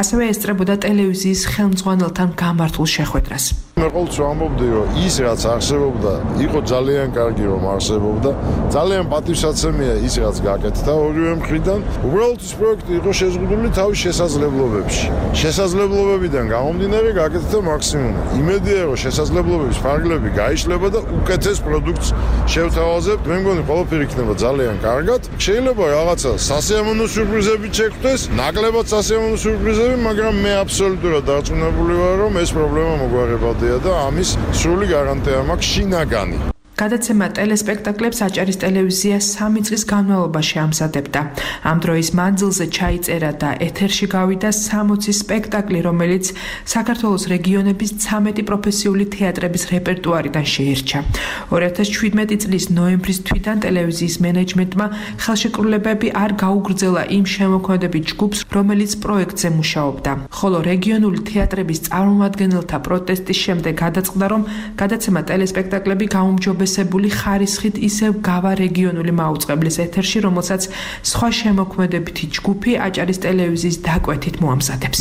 ასევე ესწრებოდა ტელევიზიის ხელმძღვანელთან გამართულ შეხვედრას. მე ყოველთვის ვამბობდი, რომ ის რაც არსებობდა, იყო ძალიან კარგი რომ არსებობდა. ძალიან პატივსაცემია ის რაც გაკეთდა ორივე მხრიდან. უბრალოდ ეს პროექტი იყო შეზღუდული თავის შესაძლებლობებში. შესაძლებლობებიდან გამომდინარე გაკეთდა მაქსიმუმი. იმედია რომ შესაძლებლობების ფარგლები გაიშლება და უკეთეს პროდუქტს შევთავაზებთ. მე მგონი ყველაფერი იქნება ძალიან კარგად. შეიძლება რაღაცა სასიამოვნო სიურპრიზები შეგვხვდეს, ნაკლებად სასიამოვნო სიურპრიზები, მაგრამ მე აბსოლუტურად დარწმუნებული ვარ რომ ეს პრობლემა მოგვარებადია და ამის სრული გარანტია მაქვს შინაგანი. გადაცემა ტელესპექტაკლებს აჭარის ტელევიზია სამი წლის განმავლობაში ამზადებდა. ამ დროის მანძილზე ჩაიწერა და ეთერში გავიდა სამოცი სპექტაკლი, რომელიც საქართველოს რეგიონების ცამეტი პროფესიული თეატრების რეპერტუარიდან შეირჩა. ორი ათას შვიდმეტი წლის ნოემბრის თვიდან ტელევიზიის მენეჯმენტმა ხელშეკრულებები არ გაუგრძელა იმ შემოქმედებით ჯგუფს, რომელიც პროექტზე მუშაობდა. ხოლო რეგიონული თეატრების წარმომადგენელთა პროტესტის შემდეგ გადაწყდა, რომ გადაცემა ტელესპექტაკლები გაუმჯობესებული ხარისხით ისევ გავა რეგიონული მაუწყებლის ეთერში, რომელსაც სხვა შემოქმედებითი ჯგუფი აჭარის ტელევიზიის დაკვეთით მოამზადებს.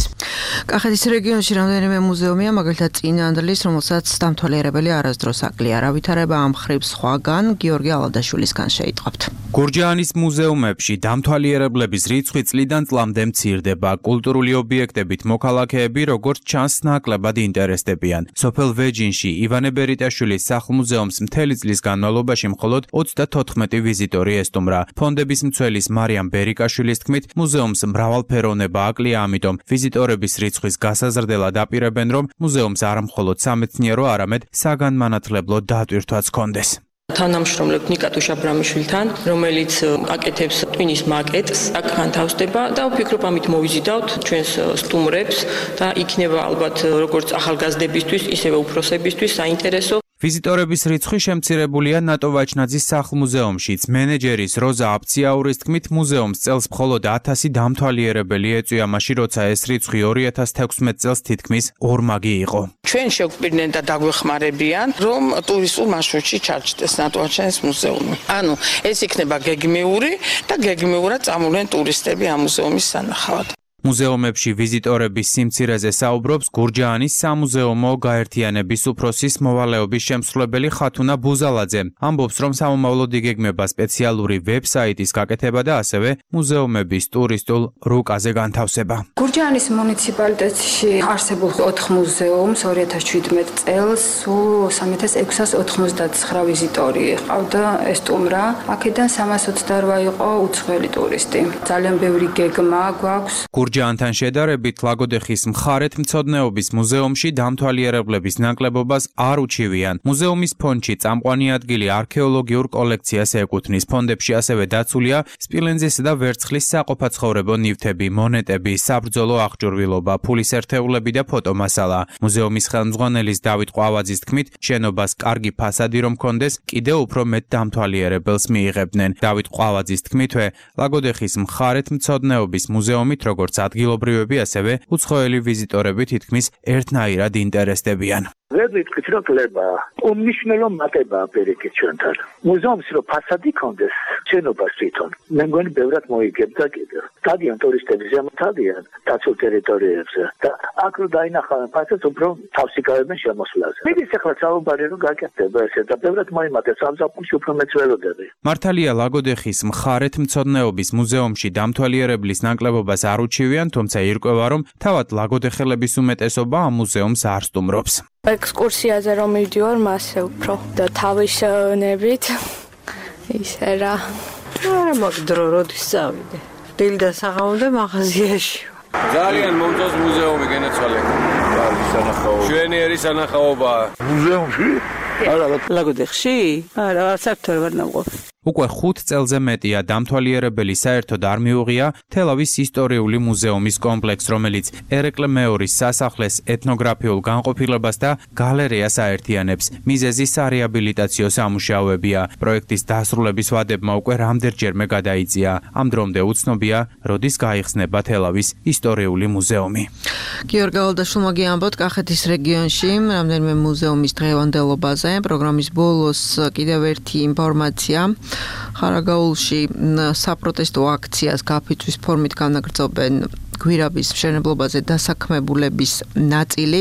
კახეთის რეგიონში რამდენიმე მუზეუმია, მაგალითად წინანდლის, რომელსაც დამთვალიერებელი არასდროს აკლია. რა ვითარება ამ მხრივ სხვაგან, გიორგი ალადაშვილისგან შეიტყობთ. გურჯაანის მუზეუმებში დამთვალიერებლების რიცხვი წლიდან წლამდე მცირდება. კულტურული ობიექტებით მოქალაქეები, როგორც ჩანს, ნაკლებად ინტერესდებიან. სოფელ ვეჯინში ივანე ბერიტაშვილის სახლ-მუზეუმს მთელი წლის განმავლობაში მხოლოდ ოცდათოთხმეტი ვიზიტორი ესტუმრა. ფონდების მცველის მარიამ ბერიკაშვილის თქმით, მუზეუმს მრავალფეროვნება აკლია, ამიტომ ვიზიტორების რიცხვის გასაზრდელად აპირებენ, რომ მუზეუმს არა მხოლოდ სამეცნიერო, არამედ საგანმანათლებლო დატვირთვაც ჰქონდეს. თანამშრომლებთ ნიკატუშ აბრამიშვილთან, რომელიც აკეთებს ტვინის მაკეტს, აქ განთავსდება და ვფიქრობ, ამით მოვიზიდავთ ჩვენს სტუმრებს და იქნება ალბათ როგორც ახალგაზრდებისთვის, ისევე უფროსებისთვის საინტერესო. ვიზიტორების რიცხვი შემცირებულია ნატო ვაჩნაძის სახლ-მუზეუმშიც. მენეჯერის როზა აფციაურის თქმით, მუზეუმს წელს მხოლოდ ათასი დამთვალიერებელი ეწვია, მაშინ როცა ეს რიცხვი ორი ათას თექვსმეტ წელს თითქმის ორმაგი იყო. ჩვენ შევგვირდნენ და დაგვეხმარებიან, რომ ტურისტულ მარშრუტში ჩარჩდეს ნატო ვაჩნაძის მუზეუმი. ანუ ეს იქნება გეგმიური და გეგმიურად წამოვლენ ტურისტები ამ მუზეუმის სანახავად. მუზეუმებში ვიზიტორების სიმცირეზე საუბრობს გურჯაანის სამუზეუმო გაერთიანების უფროსის მოვალეობის შემსრულებელი ხათუნა ბუზალაძე. ამბობს, რომ სამომავლოდ იგეგმება სპეციალური ვებსაიტის გაკეთება და ასევე მუზეუმების ტურისტულ რუკაზე განთავსება. გურჯაანის მუნიციპალიტეტში არსებულ ოთხ მუზეუმს ორი ათას შვიდმეტ წელს სულ სამი ათას ექვსას ოცდაათი ვიზიტორი ყავდა ესტუმრა. აქედან სამას ოცდაორი იყო უცხოელი ტურისტი. ძალიან ბევრი გეგმა გვაქვს. გურჯაანთან შედარებით ლაგოდეხის მხარეთმცოდნეობის მუზეუმში დამთვალიერებლების ნაკლებობას არ უჩივიან. მუზეუმის ფონდში წამყვანი ადგილი არქეოლოგიურ კოლექციას ეკუთვნის. ფონდებში ასევე დაცულია სპილენძისა და ვერცხლის საყოფაცხოვრებო ნივთები, მონეტები, საბრძოლო აღჭურვილობა, ფულის ერთეულები და ფოტომასალა. მუზეუმის ხელმძღვანელის დავით ყვავაძის თქმით, შენობას კარგი ფასადი რომ ჰქონდეს, კიდევ უფრო მეტ დამთვალიერებელს მიიღებდნენ. დავით ყვავაძის თქმითვე, ლაგოდეხის მხარეთმცოდნეობის მუზეუმით როგორც ადგილობრივები, ასევე უცხოელი ვიზიტორები თითქმის ერთნაირად ინტერესდებიან. ვერ ვიტყვით, რომ კლება უმნიშვნელო მატებაა პერიკი ჩვენთან. მუზეუმს რო ფასადი ქონდეს, შენობას თვითონ. მე მგონი ბევრად მოიგებდა კიდევ. დადიან ტურისტები ზემოთადიან დაცულ ტერიტორიებზე და აქ რო დაინახავენ ფასადს, უფრო თავსი გავებენ შემოსვლაზე. მიდის ახლა საუბარი რომ გაკეთდება ესე და ბევრად მოიმატებს ამ ზაფხულში უფრო მეც ველოდები. მართალია ლაგოდეხის მხარეთმცოდნეობის მუზეუმში დამთვალიერებლის ნაკლებობას არ უჩივიან, თუმცა ირკვევა, რომ თავად ლაგოდეხელების უმეტესობა ამ მუზეუმს არ სტუმრობს. ექსკურსიაზე რომ მივდივარ, მასე უფრო და თავის ნებით ისე რა. არა მაგ დრო როდის წავიდე. დილდა საღამომდე მაღაზიაში. ძალიან მომწონს მუზეუმი გენაცვალე. შვენიერი სანახაობაა. მუზეუმში? არა, ლაგოდეხში? არა, საერთოდ ვერ ნამყოფ. უკვე ხუთ წელზე მეტია დამთვალიერებელი საერთოდ არ მიუღია თელავის ისტორიული მუზეუმის კომპლექს, რომელიც ერეკლე მეორის სასახლეს ეთნოგრაფიულ განყოფილებას და გალერეას აერთიანებს. მიზეზი სარეაბილიტაციო სამუშაოებია. პროექტის დასრულების ვადებმა უკვე რამდენჯერმე გადაიწია. ამ დრომდე უცნობია, როდის გაიხსნება თელავის ისტორიული მუზეუმი. გიორგი ალდაშვილმა გიამბოთ კახეთის რეგიონში რამდენიმე მუზეუმის დღევანდელობაზე. პროგრამის ბოლოს კიდევ ერთი ინფორმაცია. ხარაგაულში საპროტესტო აქციას გაფიცვის ფორმით განაგრძობენ გვირაბის მშენებლობაზე დასაქმებულების ნაწილი.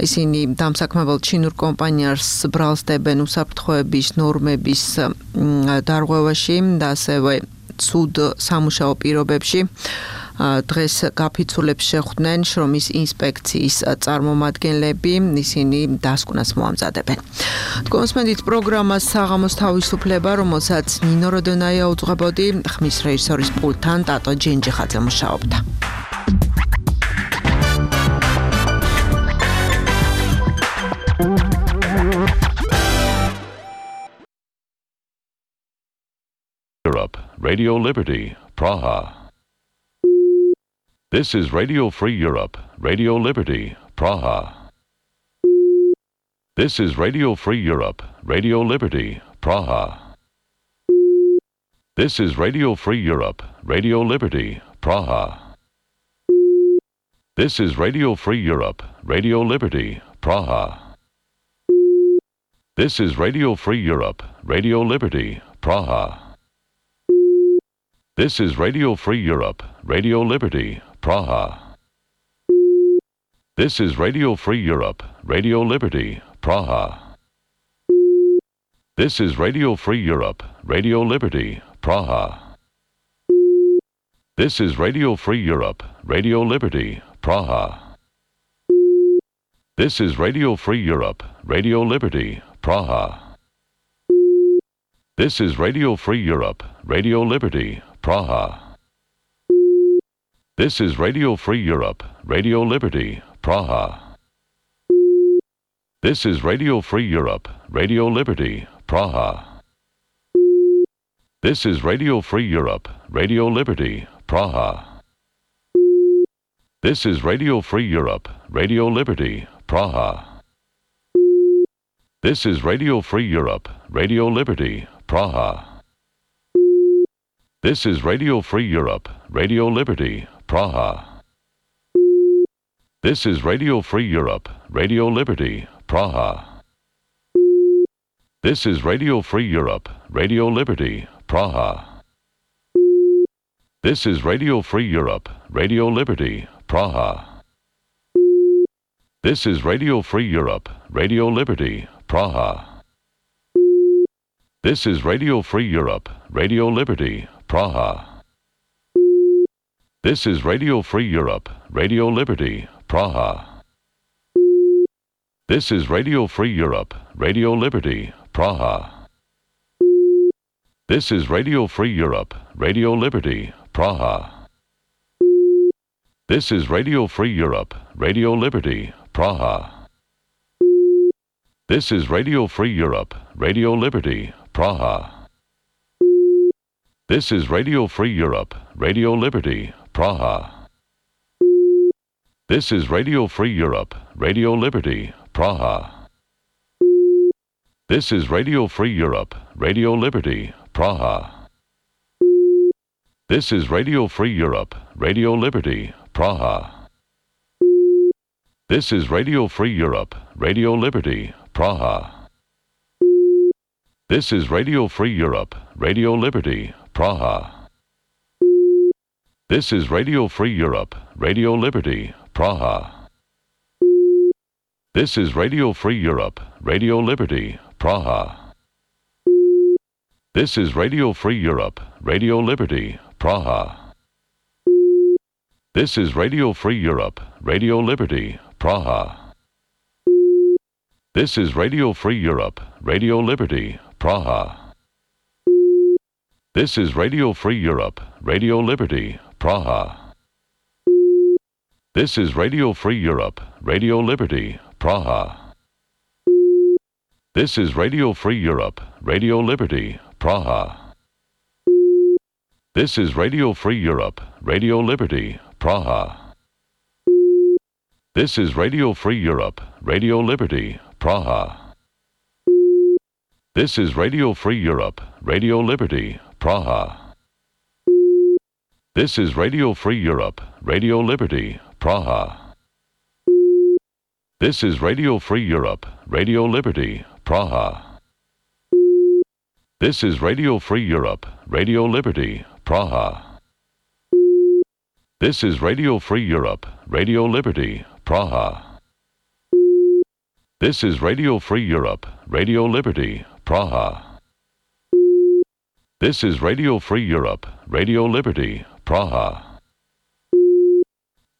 ისინი დამსაქმებელ ჩინურ კომპანიას ბრალს დებენ უსაფრთხოების ნორმების დარღვევაში და ასევე ცუდ სამუშაო პირობებში. დღეს გაფიცულებს შეხვდნენ შრომის ინსპექციის წარმომადგენლები, ისინი დასკვნას მოამზადებენ. კონსმენდით პროგრამას საღამოს თავისუფლება, რომელსაც ნინო როდონაია უძღვებოდი, ხმის რეჟისორის პულტთან ტატო ჯენჯიხაძე მუშაობდა. Europe, Radio Liberty, Praha. This is Radio Free Europe, Radio Liberty, Praha. This is Radio Free Europe, Radio Liberty, Praha. This is Radio Free Europe, Radio Liberty, Praha. This is Radio Free Europe, Radio Liberty, Praha. This is Radio Free Europe, Radio Liberty, Praha. This is Radio Free Europe, Radio Liberty, Praha. This is Radio Free Europe, Radio Liberty, Praha. This is Radio Free Europe, Radio Liberty, Praha. This is Radio Free Europe, Radio Liberty, Praha. This is Radio Free Europe, Radio Liberty, Praha. This is Radio Free Europe, Radio Liberty, Praha. This is Radio Free Europe, Radio Liberty, Praha. This is Radio Free Europe, Radio Liberty, Praha. This is Radio Free Europe, Radio Liberty, Praha. This is Radio Free Europe, Radio Liberty, Praha. This is Radio Free Europe, Radio Liberty, Praha. This is Radio Free Europe, Radio Liberty, Praha. This is Radio Free Europe, Radio Liberty, Praha. This is Radio Free Europe, Radio Liberty, Praha. This is Radio Free Europe, Radio Liberty, Praha. This is Radio Free Europe, Radio Liberty, Praha. This is Radio Free Europe, Radio Liberty, Praha. This is Radio Free Europe, Radio Liberty, Praha. This is Radio Free Europe, Radio Liberty, Praha. This is Radio Free Europe, Radio Liberty, Praha. This is Radio Free Europe, Radio Liberty, Praha. This is Radio Free Europe, Radio Liberty, Praha. This is Radio Free Europe, Radio Liberty, Praha. This is Radio Free Europe, Radio Liberty, Praha. This is Radio Free Europe, Radio Liberty, Praha. This is Radio Free Europe, Radio Liberty, Praha. This is Radio Free Europe, Radio Liberty, Praha. This is Radio Free Europe, Radio Liberty, Praha. This is Radio Free Europe, Radio Liberty, Praha. This is Radio Free Europe, Radio Liberty, Praha. This is Radio Free Europe, Radio Liberty, Praha. This is Radio Free Europe, Radio Liberty, Praha. This is Radio Free Europe, Radio Liberty, Praha. This is Radio Free Europe, Radio Liberty, Praha. This is Radio Free Europe, Radio Liberty, Praha. This is Radio Free Europe, Radio Liberty, Praha. This is Radio Free Europe, Radio Liberty, Praha. This is Radio Free Europe, Radio Liberty, Praha. This is Radio Free Europe, Radio Liberty, Praha. This is Radio Free Europe, Radio Liberty, Praha. This is Radio Free Europe, Radio Liberty, Praha. This is Radio Free Europe, Radio Liberty, Praha. This is Radio Free Europe, Radio Liberty, Praha. This is Radio Free Europe, Radio Liberty, Praha. This is Radio Free Europe, Radio Liberty, Praha.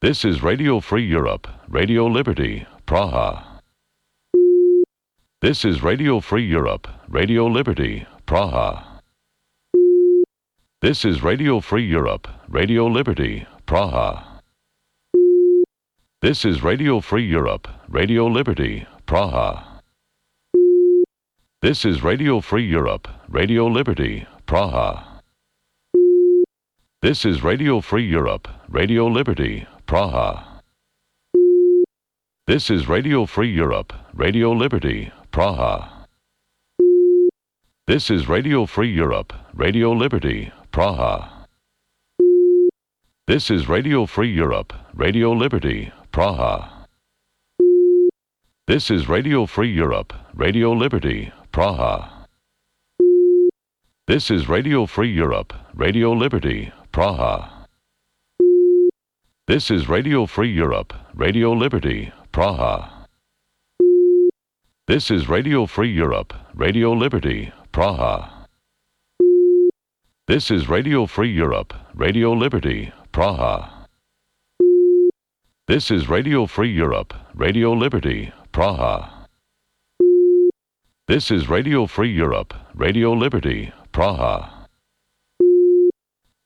This is Radio Free Europe, Radio Liberty, Praha. This is Radio Free Europe, Radio Liberty, Praha. This is Radio Free Europe, Radio Liberty, Praha. This is Radio Free Europe, Radio Liberty, Praha. This is Radio Free Europe, Radio Liberty, Praha. This is Radio Free Europe, Radio Liberty, Praha. This is Radio Free Europe, Radio Liberty, Praha. This is Radio Free Europe, Radio Liberty, Praha. This is Radio Free Europe, Radio Liberty, Praha. This is Radio Free Europe, Radio Liberty, Praha. This is Radio Free Europe, Radio Liberty, Praha. This is Radio Free Europe, Radio Liberty, Praha. This is Radio Free Europe, Radio Liberty, Praha. This is Radio Free Europe, Radio Liberty, Praha. This is Radio Free Europe, Radio Liberty, Praha. This is Radio Free Europe, Radio Liberty, Praha.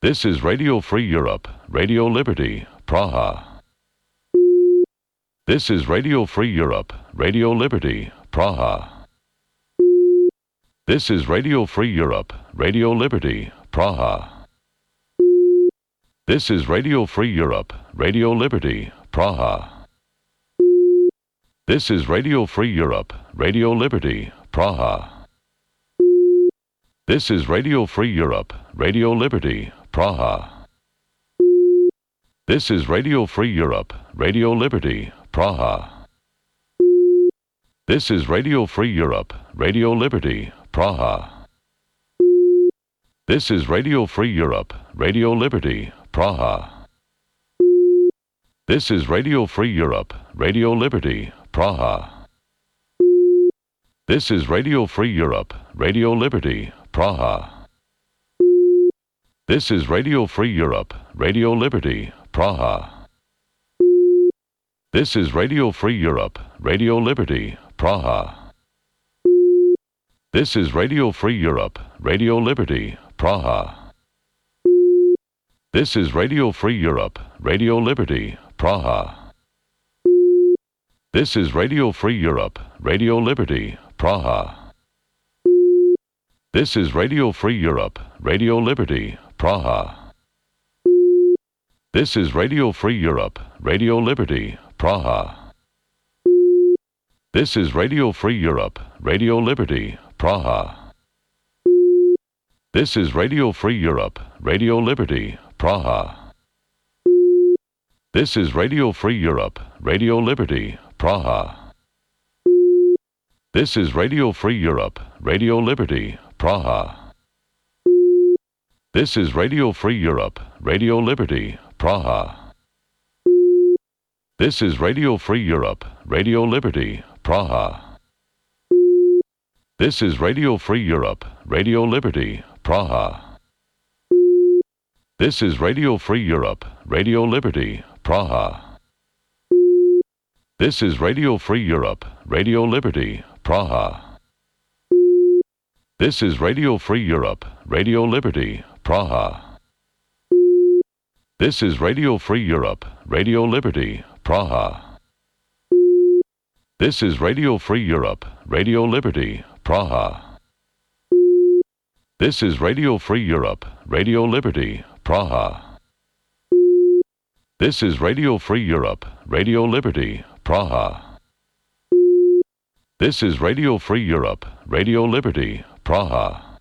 This is Radio Free Europe, Radio Liberty, Praha. This is Radio Free Europe, Radio Liberty, Praha. This is Radio Free Europe, Radio Liberty, Praha. This is Radio Free Europe, Radio Liberty, Praha. This is Radio Free Europe, Radio Liberty, Praha. This is Radio Free Europe, Radio Liberty, Praha. This is Radio Free Europe, Radio Liberty, Praha. This is Radio Free Europe, Radio Liberty, Praha. This is Radio Free Europe, Radio Liberty, Praha. This is Radio Free Europe, Radio Liberty, Praha. This is Radio Free Europe, Radio Liberty, Praha. This is Radio Free Europe, Radio Liberty, Praha. This is Radio Free Europe, Radio Liberty, Praha. This is Radio Free Europe, Radio Liberty, Praha. This is Radio Free Europe, Radio Liberty, Praha. This is Radio Free Europe, Radio Liberty, Praha. This is Radio Free Europe, Radio Liberty, Praha. This is Radio Free Europe, Radio Liberty, Praha. This is Radio Free Europe, Radio Liberty, Praha. This is Radio Free Europe, Radio Liberty, Praha. This is Radio Free Europe, Radio Liberty, Praha. This is Radio Free Europe, Radio Liberty, Praha. This is Radio Free Europe, Radio Liberty, Praha. This is Radio Free Europe, Radio Liberty, Praha. This is Radio Free Europe, Radio Liberty, Praha. This is Radio Free Europe, Radio Liberty, Praha. This is Radio Free Europe, Radio Liberty, Praha. This is Radio Free Europe, Radio Liberty, Praha. This is Radio Free Europe, Radio Liberty, Praha. This is Radio Free Europe, Radio Liberty, Praha. This is Radio Free Europe, Radio Liberty, Praha. This is Radio Free Europe, Radio Liberty, Praha. This is Radio Free Europe, Radio Liberty, Praha.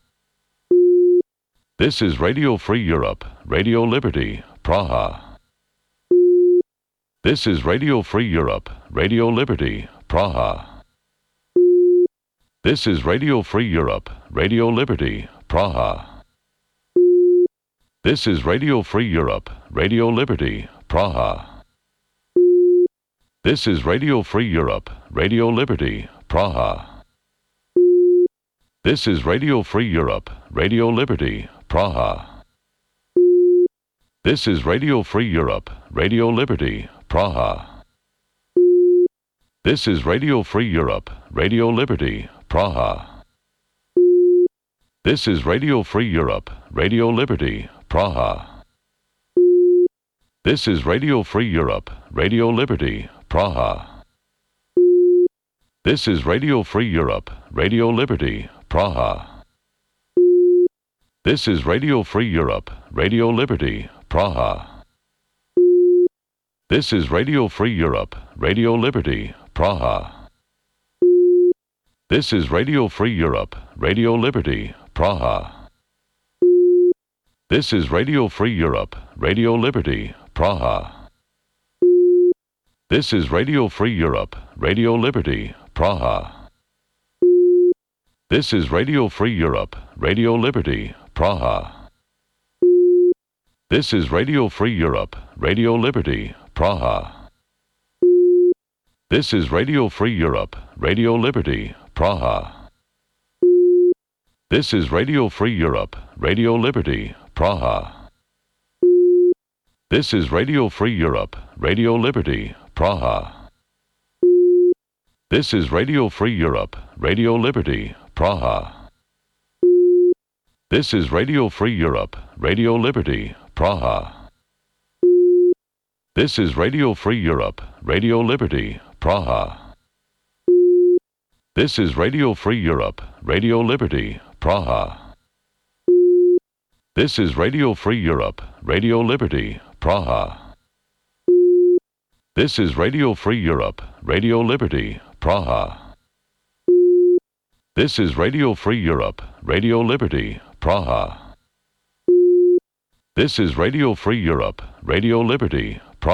This is Radio Free Europe, Radio Liberty, Praha. This is Radio Free Europe, Radio Liberty, Praha. This is Radio Free Europe, Radio Liberty, Praha. This is Radio Free Europe, Radio Liberty, Praha. This is Radio Free Europe, Radio Liberty, Praha. This is Radio Free Europe, Radio Liberty, Praha. This is Radio Free Europe, Radio Liberty, Praha. This is Radio Free Europe, Radio Liberty, Praha. This is Radio Free Europe, Radio Liberty, Praha. This is Radio Free Europe, Radio Liberty, Praha. This is Radio Free Europe, Radio Liberty, Praha. This is Radio Free Europe, Radio Liberty, Praha. This is Radio Free Europe, Radio Liberty, Praha. This is Radio Free Europe, Radio Liberty, Praha. This is Radio Free Europe, Radio Liberty, Praha. This is Radio Free Europe, Radio Liberty, Praha. This is Radio Free Europe, Radio Liberty, Praha. This is Radio Free Europe, Radio Liberty, Praha. This is Radio Free Europe, Radio Liberty, Praha. This is Radio Free Europe, Radio Liberty, Praha. This is Radio Free Europe, Radio Liberty, Praha. This is Radio Free Europe, Radio Liberty, Praha. This is Radio Free Europe, Radio Liberty, Praha. This is Radio Free Europe, Radio Liberty, Praha. This is Radio Free Europe, Radio Liberty, Praha. This is Radio Free Europe, Radio Liberty, Praha. This is Radio Free Europe, Radio Liberty, Praha. This is Radio Free Europe, Radio Liberty, Praha. This is Radio Free Europe, Radio Liberty, Praha.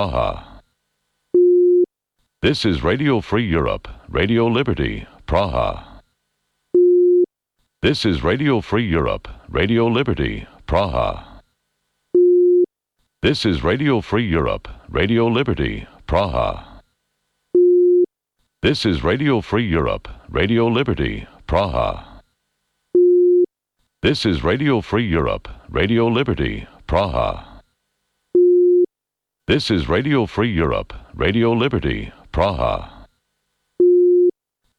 This is Radio Free Europe, Radio Liberty, Praha. This is Radio Free Europe, Radio Liberty, Praha. This is Radio Free Europe, Radio Liberty, Praha. This is Radio Free Europe, Radio Liberty, Praha. This is Radio Free Europe, Radio Liberty, Praha. This is Radio Free Europe, Radio Liberty, Praha.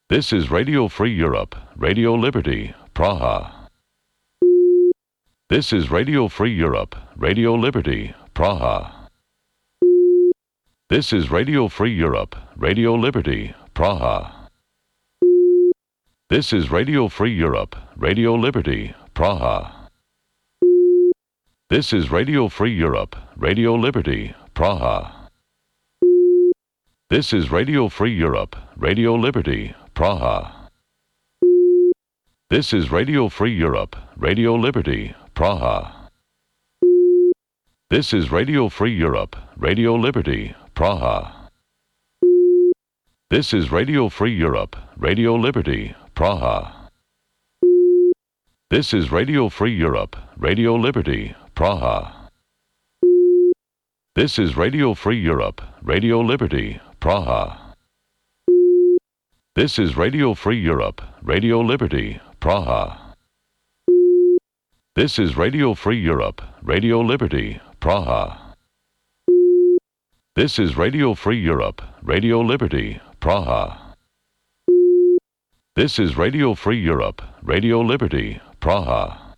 This is Radio Free Europe, Radio Liberty, Praha. This is Radio Free Europe, Radio Liberty, Praha. This is Radio Free Europe, Radio Liberty, Praha. This is Radio Free Europe, Radio Liberty, Praha. This is Radio Free Europe, Radio Liberty, Praha. This is Radio Free Europe, Radio Liberty, Praha. This is Radio Free Europe, Radio Liberty, Praha. This is Radio Free Europe, Radio Liberty, Praha. This is Radio Free Europe, Radio Liberty, Praha. This is Radio Free Europe, Radio Liberty, Praha. This is Radio Free Europe, Radio Liberty, Praha. This is Radio Free Europe, Radio Liberty, Praha. This is Radio Free Europe, Radio Liberty, Praha. This is Radio Free Europe, Radio Liberty, Praha. This is Radio Free Europe, Radio Liberty, Praha.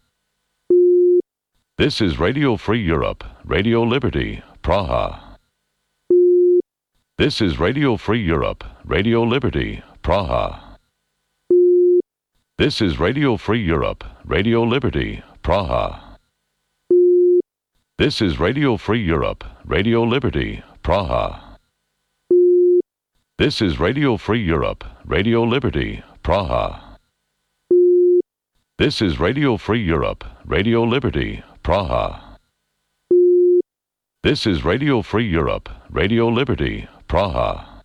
This is Radio Free Europe, Radio Liberty, Praha. This is Radio Free Europe, Radio Liberty, Praha. This is Radio Free Europe, Radio Liberty, Praha. This is Radio Free Europe, Radio Liberty, Praha. This is Radio Free Europe, Radio Liberty, Praha. This is Radio Free Europe, Radio Liberty, Praha. This is Radio Free Europe, Radio Liberty, Praha.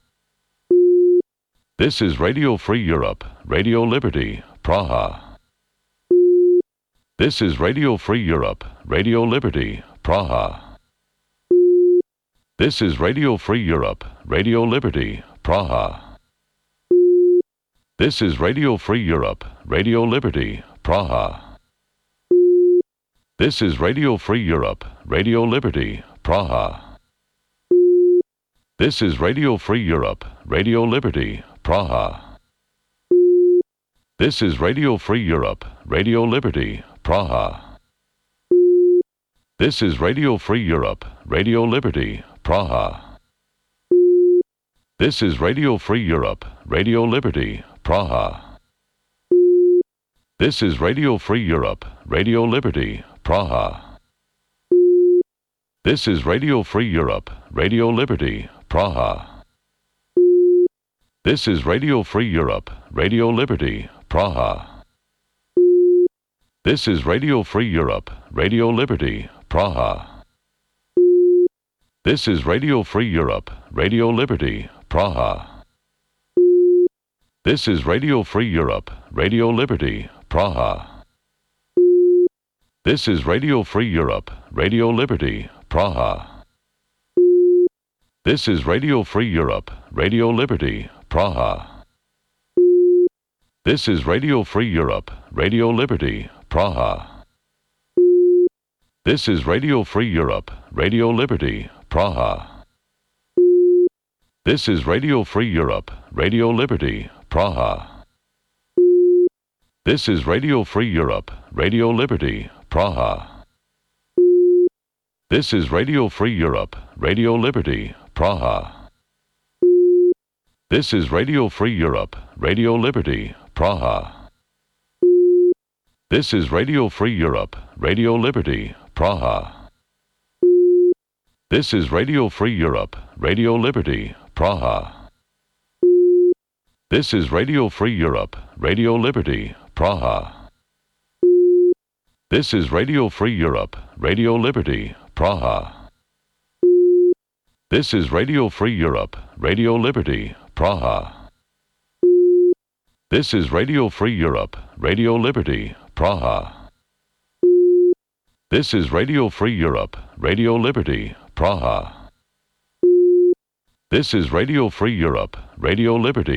This is Radio Free Europe, Radio Liberty, Praha. This is Radio Free Europe, Radio Liberty, Praha. This is Radio Free Europe, Radio Liberty, Praha. This is Radio Free Europe, Radio Liberty, Praha. This is Radio Free Europe, Radio Liberty, Praha. This is Radio Free Europe, Radio Liberty, Praha. This is Radio Free Europe, Radio Liberty, Praha. This is Radio Free Europe, Radio Liberty, Praha. This is Radio Free Europe, Radio Liberty, Praha. This is Radio Free Europe, Radio Liberty, Praha. This is Radio Free Europe, Radio Liberty, Praha. This is Radio Free Europe, Radio Liberty, Praha. This is Radio Free Europe, Radio Liberty, Praha. This is Radio Free Europe, Radio Liberty, Praha. This is Radio Free Europe, Radio Liberty, Praha. This is Radio Free Europe, Radio Liberty, Praha. This is Radio Free Europe, Radio Liberty, Praha. This is Radio Free Europe, Radio Liberty, Praha. This is Radio Free Europe, Radio Liberty, Praha. This is Radio Free Europe, Radio Liberty, Praha. This is Radio Free Europe, Radio Liberty, Praha. This is Radio Free Europe, Radio Liberty, Praha. This is Radio Free Europe, Radio Liberty, Praha. This is Radio Free Europe, Radio Liberty, Praha. This is Radio Free Europe, Radio Liberty, Praha. This is Radio Free Europe, Radio Liberty, Praha. This is Radio Free Europe, Radio Liberty, Praha. This is Radio Free Europe, Radio Liberty, Praha. This is Radio Free Europe, Radio Liberty, Praha. This is Radio Free Europe, Radio Liberty, Praha. This is Radio Free Europe, Radio Liberty,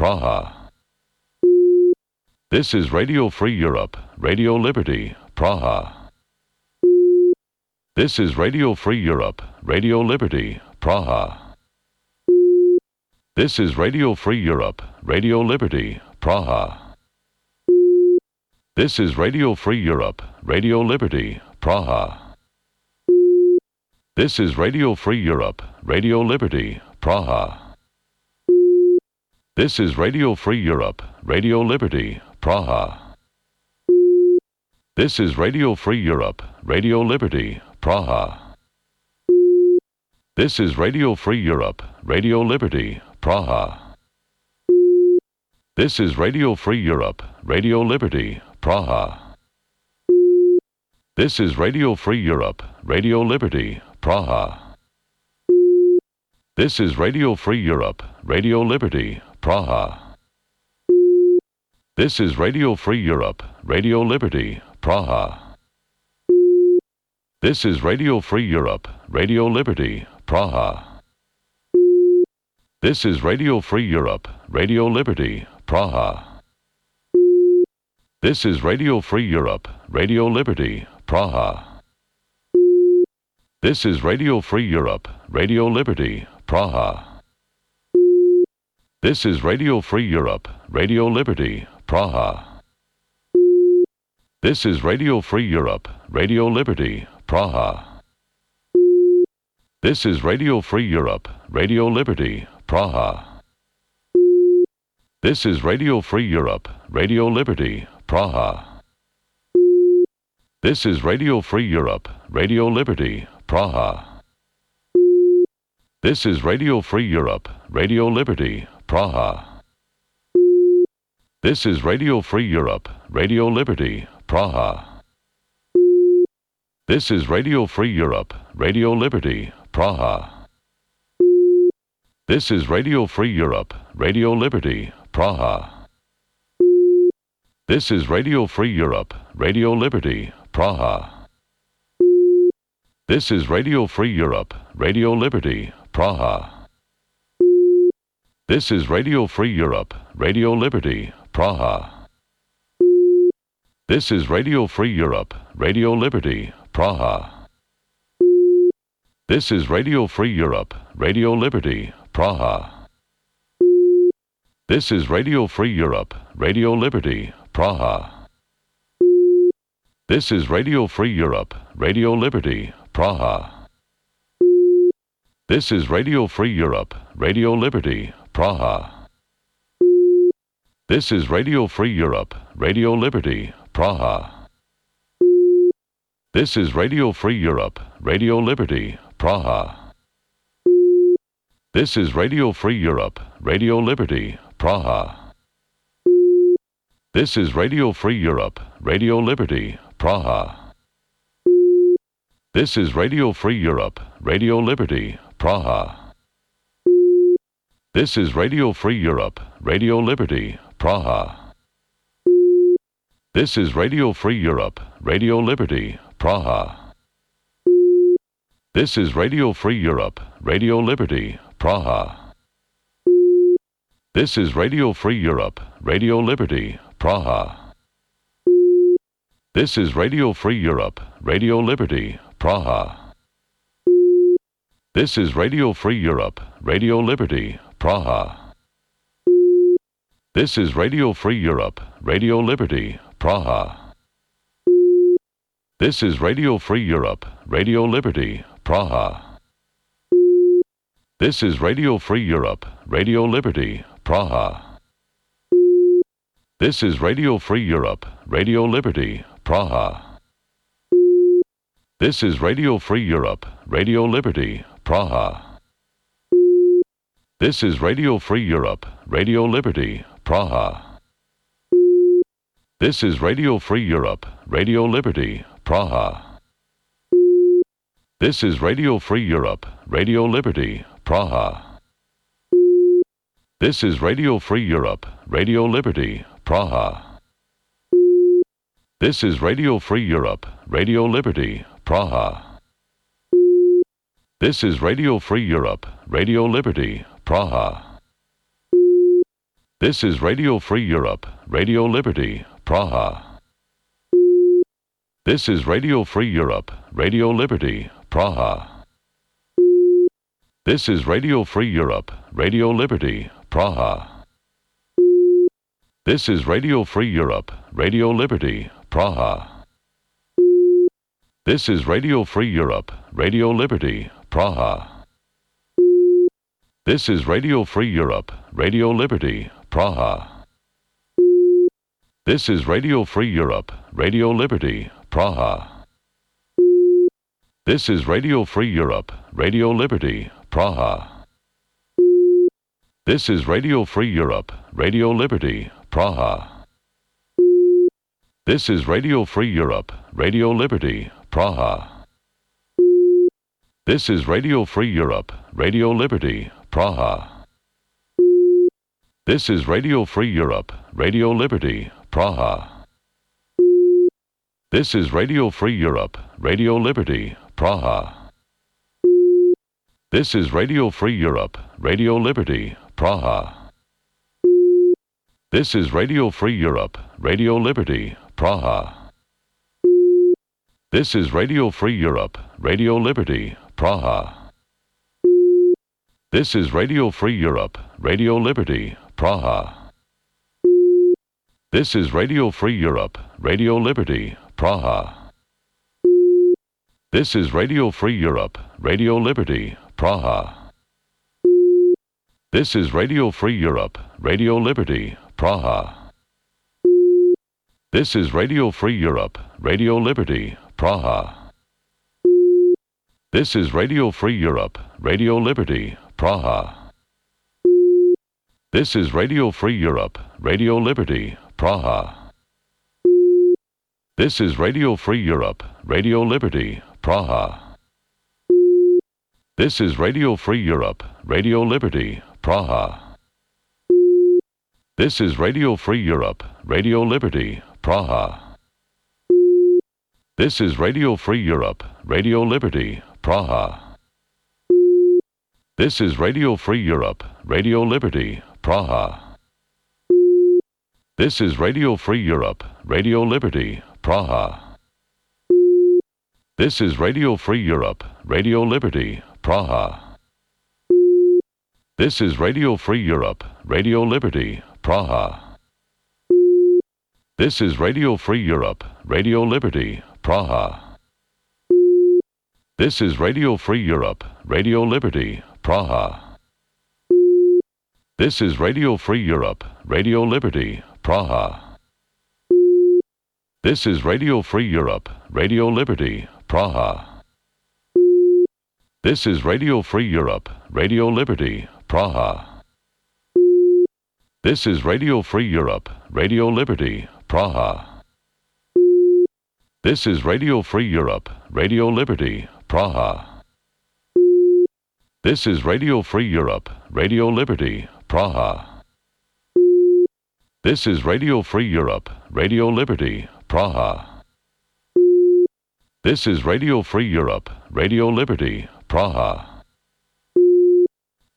Praha. This is Radio Free Europe, Radio Liberty, Praha. This is Radio Free Europe, Radio Liberty, Praha. This is Radio Free Europe, Radio Liberty, Praha. This is Radio Free Europe, Radio Liberty, Praha. This is Radio Free Europe, Radio Liberty, Praha. This is Radio Free Europe, Radio Liberty, Praha. This is Radio Free Europe, Radio Liberty, Praha. This is Radio Free Europe, Radio Liberty, Praha. This is Radio Free Europe, Radio Liberty, Praha. This is Radio Free Europe, Radio Liberty, Praha. This is Radio Free Europe, Radio Liberty, Praha. This is Radio Free Europe, Radio Liberty, Praha. This is Radio Free Europe, Radio Liberty, Praha. This is Radio Free Europe, Radio Liberty, Praha. This is Radio Free Europe, Radio Liberty, Praha. This is Radio Free Europe, Radio Liberty, Praha. This is Radio Free Europe, Radio Liberty, Praha. This is Radio Free Europe, Radio Liberty, Praha. This is Radio Free Europe, Radio Liberty, Praha. This is Radio Free Europe, Radio Liberty, Praha. This is Radio Free Europe, Radio Liberty, Praha. This is Radio Free Europe, Radio Liberty, Praha. This is Radio Free Europe, Radio Liberty, Praha. This is Radio Free Europe, Radio Liberty, Praha. This is Radio Free Europe, Radio Liberty, Praha. This is Radio Free Europe, Radio Liberty, Praha. This is Radio Free Europe, Radio Liberty, Praha. This is Radio Free Europe, Radio Liberty, Praha. This is Radio Free Europe, Radio Liberty, Praha. This is Radio Free Europe, Radio Liberty, Praha. This is Radio Free Europe, Radio Liberty, Praha. This is Radio Free Europe, Radio Liberty, Praha. This is Radio Free Europe, Radio Liberty, Praha. This is Radio Free Europe, Radio Liberty, Praha. This is Radio Free Europe, Radio Liberty, Praha. This is Radio Free Europe, Radio Liberty, Praha. This is Radio Free Europe, Radio Liberty, Praha. This is Radio Free Europe, Radio Liberty, Praha. This is Radio Free Europe, Radio Liberty, Praha. This is Radio Free Europe, Radio Liberty, Praha. This is Radio Free Europe, Radio Liberty, Praha. This is Radio Free Europe, Radio Liberty, Praha. This is Radio Free Europe, Radio Liberty, Praha. This is Radio Free Europe, Radio Liberty, Praha. This is Radio Free Europe, Radio Liberty, Praha. This is Radio Free Europe, Radio Liberty, Praha. This is Radio Free Europe, Radio Liberty, Praha. This is Radio Free Europe, Radio Liberty, Praha. This is Radio Free Europe, Radio Liberty, Praha. This is Radio Free Europe, Radio Liberty, Praha. This is Radio Free Europe, Radio Liberty, Praha. This is Radio Free Europe, Radio Liberty, Praha. This is Radio Free Europe, Radio Liberty, Praha. This is Radio Free Europe, Radio Liberty, Praha. This is Radio Free Europe, Radio Liberty, Praha. This is Radio Free Europe, Radio Liberty, Praha. This is Radio Free Europe, Radio Liberty, Praha. This is Radio Free Europe, Radio Liberty, Praha. This is Radio Free Europe, Radio Liberty, Praha. This is Radio Free Europe, Radio Liberty, Praha. This is Radio Free Europe, Radio Liberty, Praha. This is Radio Free Europe, Radio Liberty, Praha. This is Radio Free Europe, Radio Liberty, Praha. This is Radio Free Europe, Radio Liberty, Praha. This is Radio Free Europe, Radio Liberty, Praha. This is Radio Free Europe, Radio Liberty, Praha. This is Radio Free Europe, Radio Liberty, Praha. This is Radio Free Europe, Radio Liberty, Praha. This is Radio Free Europe, Radio Liberty, Praha. This is Radio Free Europe, Radio Liberty, Praha. This is Radio Free Europe, Radio Liberty, Praha. This is Radio Free Europe, Radio Liberty, Praha. This is Radio Free Europe, Radio Liberty, Praha. This is Radio Free Europe, Radio Liberty, Praha. This is Radio Free Europe, Radio Liberty, Praha. This is Radio Free Europe, Radio Liberty, Praha. This is Radio Free Europe, Radio Liberty, Praha. This is Radio Free Europe, Radio Liberty, Praha. This is Radio Free Europe, Radio Liberty, Praha. This is Radio Free Europe, Radio Liberty, Praha. This is Radio Free Europe, Radio Liberty, Praha. This is Radio Free Europe, Radio Liberty, Praha. This is Radio Free Europe, Radio Liberty, Praha. This is Radio Free Europe, Radio Liberty, Praha. This is Radio Free Europe, Radio Liberty, Praha. This is Radio Free Europe, Radio Liberty, Praha. This is Radio Free Europe, Radio Liberty, Praha. This is Radio Free Europe, Radio Liberty, Praha. This is Radio Free Europe, Radio Liberty, Praha. This is Radio Free Europe, Radio Liberty, Praha. This is Radio Free Europe, Radio Liberty, Praha. This is Radio Free Europe, Radio Liberty, Praha. This is Radio Free Europe, Radio Liberty, Praha. This is Radio Free Europe, Radio Liberty, Praha. This is Radio Free Europe, Radio Liberty, Praha. This is Radio Free Europe, Radio Liberty, Praha.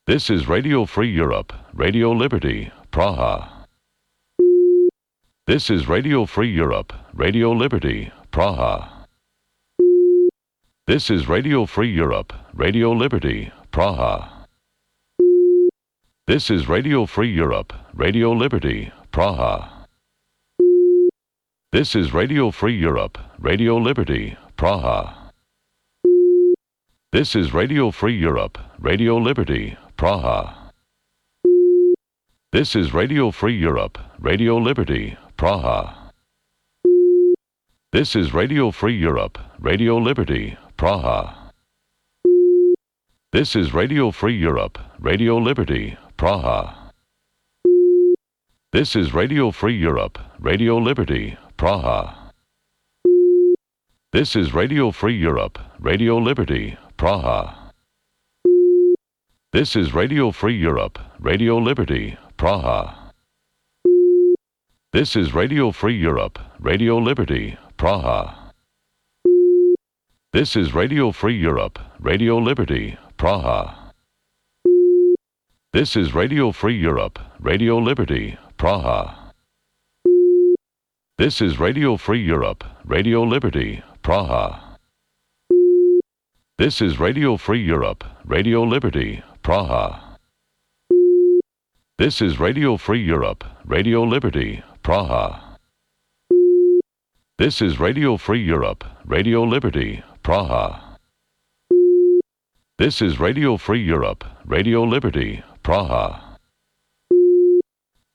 This is Radio Free Europe, Radio Liberty, Praha. This is Radio Free Europe, Radio Liberty, Praha. This is Radio Free Europe, Radio Liberty, Praha. This is Radio Free Europe, Radio Liberty, Praha. This is Radio Free Europe, Radio Liberty, Praha. This is Radio Free Europe, Radio Liberty, Praha. This is Radio Free Europe, Radio Liberty, Praha. This is Radio Free Europe, Radio Liberty, Praha. This is Radio Free Europe, Radio Liberty, Praha. This is Radio Free Europe, Radio Liberty, Praha. This is Radio Free Europe, Radio Liberty, Praha. This is Radio Free Europe, Radio Liberty, Praha. This is Radio Free Europe, Radio Liberty, Praha. This is Radio Free Europe, Radio Liberty, Praha. This is Radio Free Europe, Radio Liberty, Praha. This is Radio Free Europe, Radio Liberty, Praha. This is Radio Free Europe, Radio Liberty, Praha. This is Radio Free Europe, Radio Liberty, Praha. This is Radio Free Europe, Radio Liberty, Praha. This is Radio Free Europe, Radio Liberty, Praha.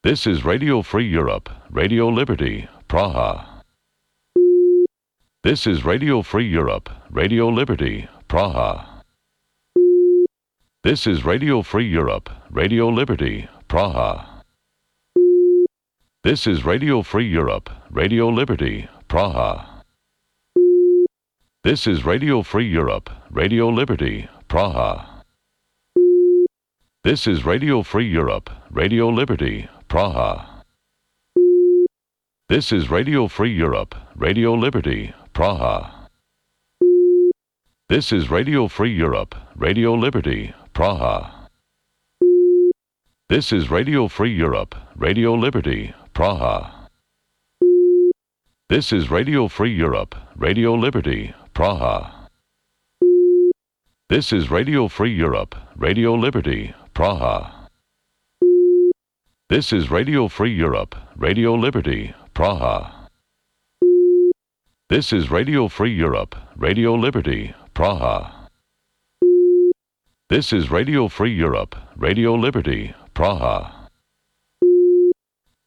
This is Radio Free Europe, Radio Liberty, Praha. This is Radio Free Europe, Radio Liberty, Praha. This is Radio Free Europe, Radio Liberty, Praha. This is Radio Free Europe, Radio Liberty, Praha. This is Radio Free Europe, Radio Liberty, Praha. This is Radio Free Europe, Radio Liberty, Praha. This is Radio Free Europe, Radio Liberty, Praha. This is Radio Free Europe, Radio Liberty, Praha. This is Radio Free Europe, Radio Liberty, Praha. This is Radio Free Europe, Radio Liberty, Praha. This is Radio Free Europe, Radio Liberty, Praha. This is Radio Free Europe, Radio Liberty, Praha. This is Radio Free Europe, Radio Liberty, Praha. This is Radio Free Europe, Radio Liberty, Praha.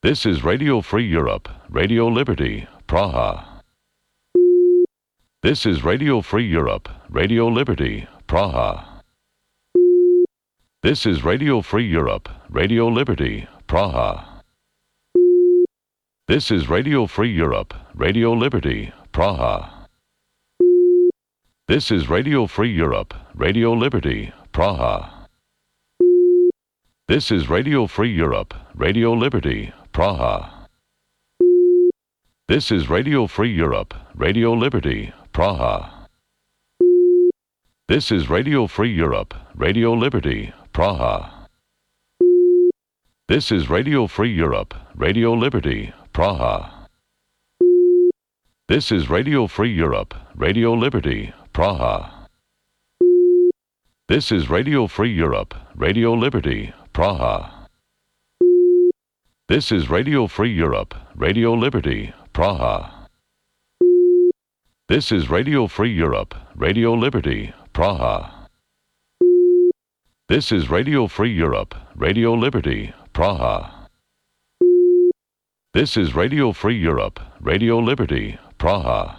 This is Radio Free Europe, Radio Liberty, Praha. This is Radio Free Europe, Radio Liberty, Praha. This is Radio Free Europe, Radio Liberty, Praha. This is Radio Free Europe, Radio Liberty, Praha. This is Radio Free Europe, Radio Liberty, Praha. This is Radio Free Europe, Radio Liberty, Praha. This is Radio Free Europe, Radio Liberty, Praha. This is Radio Free Europe, Radio Liberty, Praha. This is Radio Free Europe, Radio Liberty, Praha. This is Radio Free Europe, Radio Liberty, Praha. This is Radio Free Europe, Radio Liberty, Praha. This is Radio Free Europe, Radio Liberty, Praha. This is Radio Free Europe, Radio Liberty, Praha. This is Radio Free Europe, Radio Liberty, Praha. This is Radio Free Europe, Radio Liberty, Praha.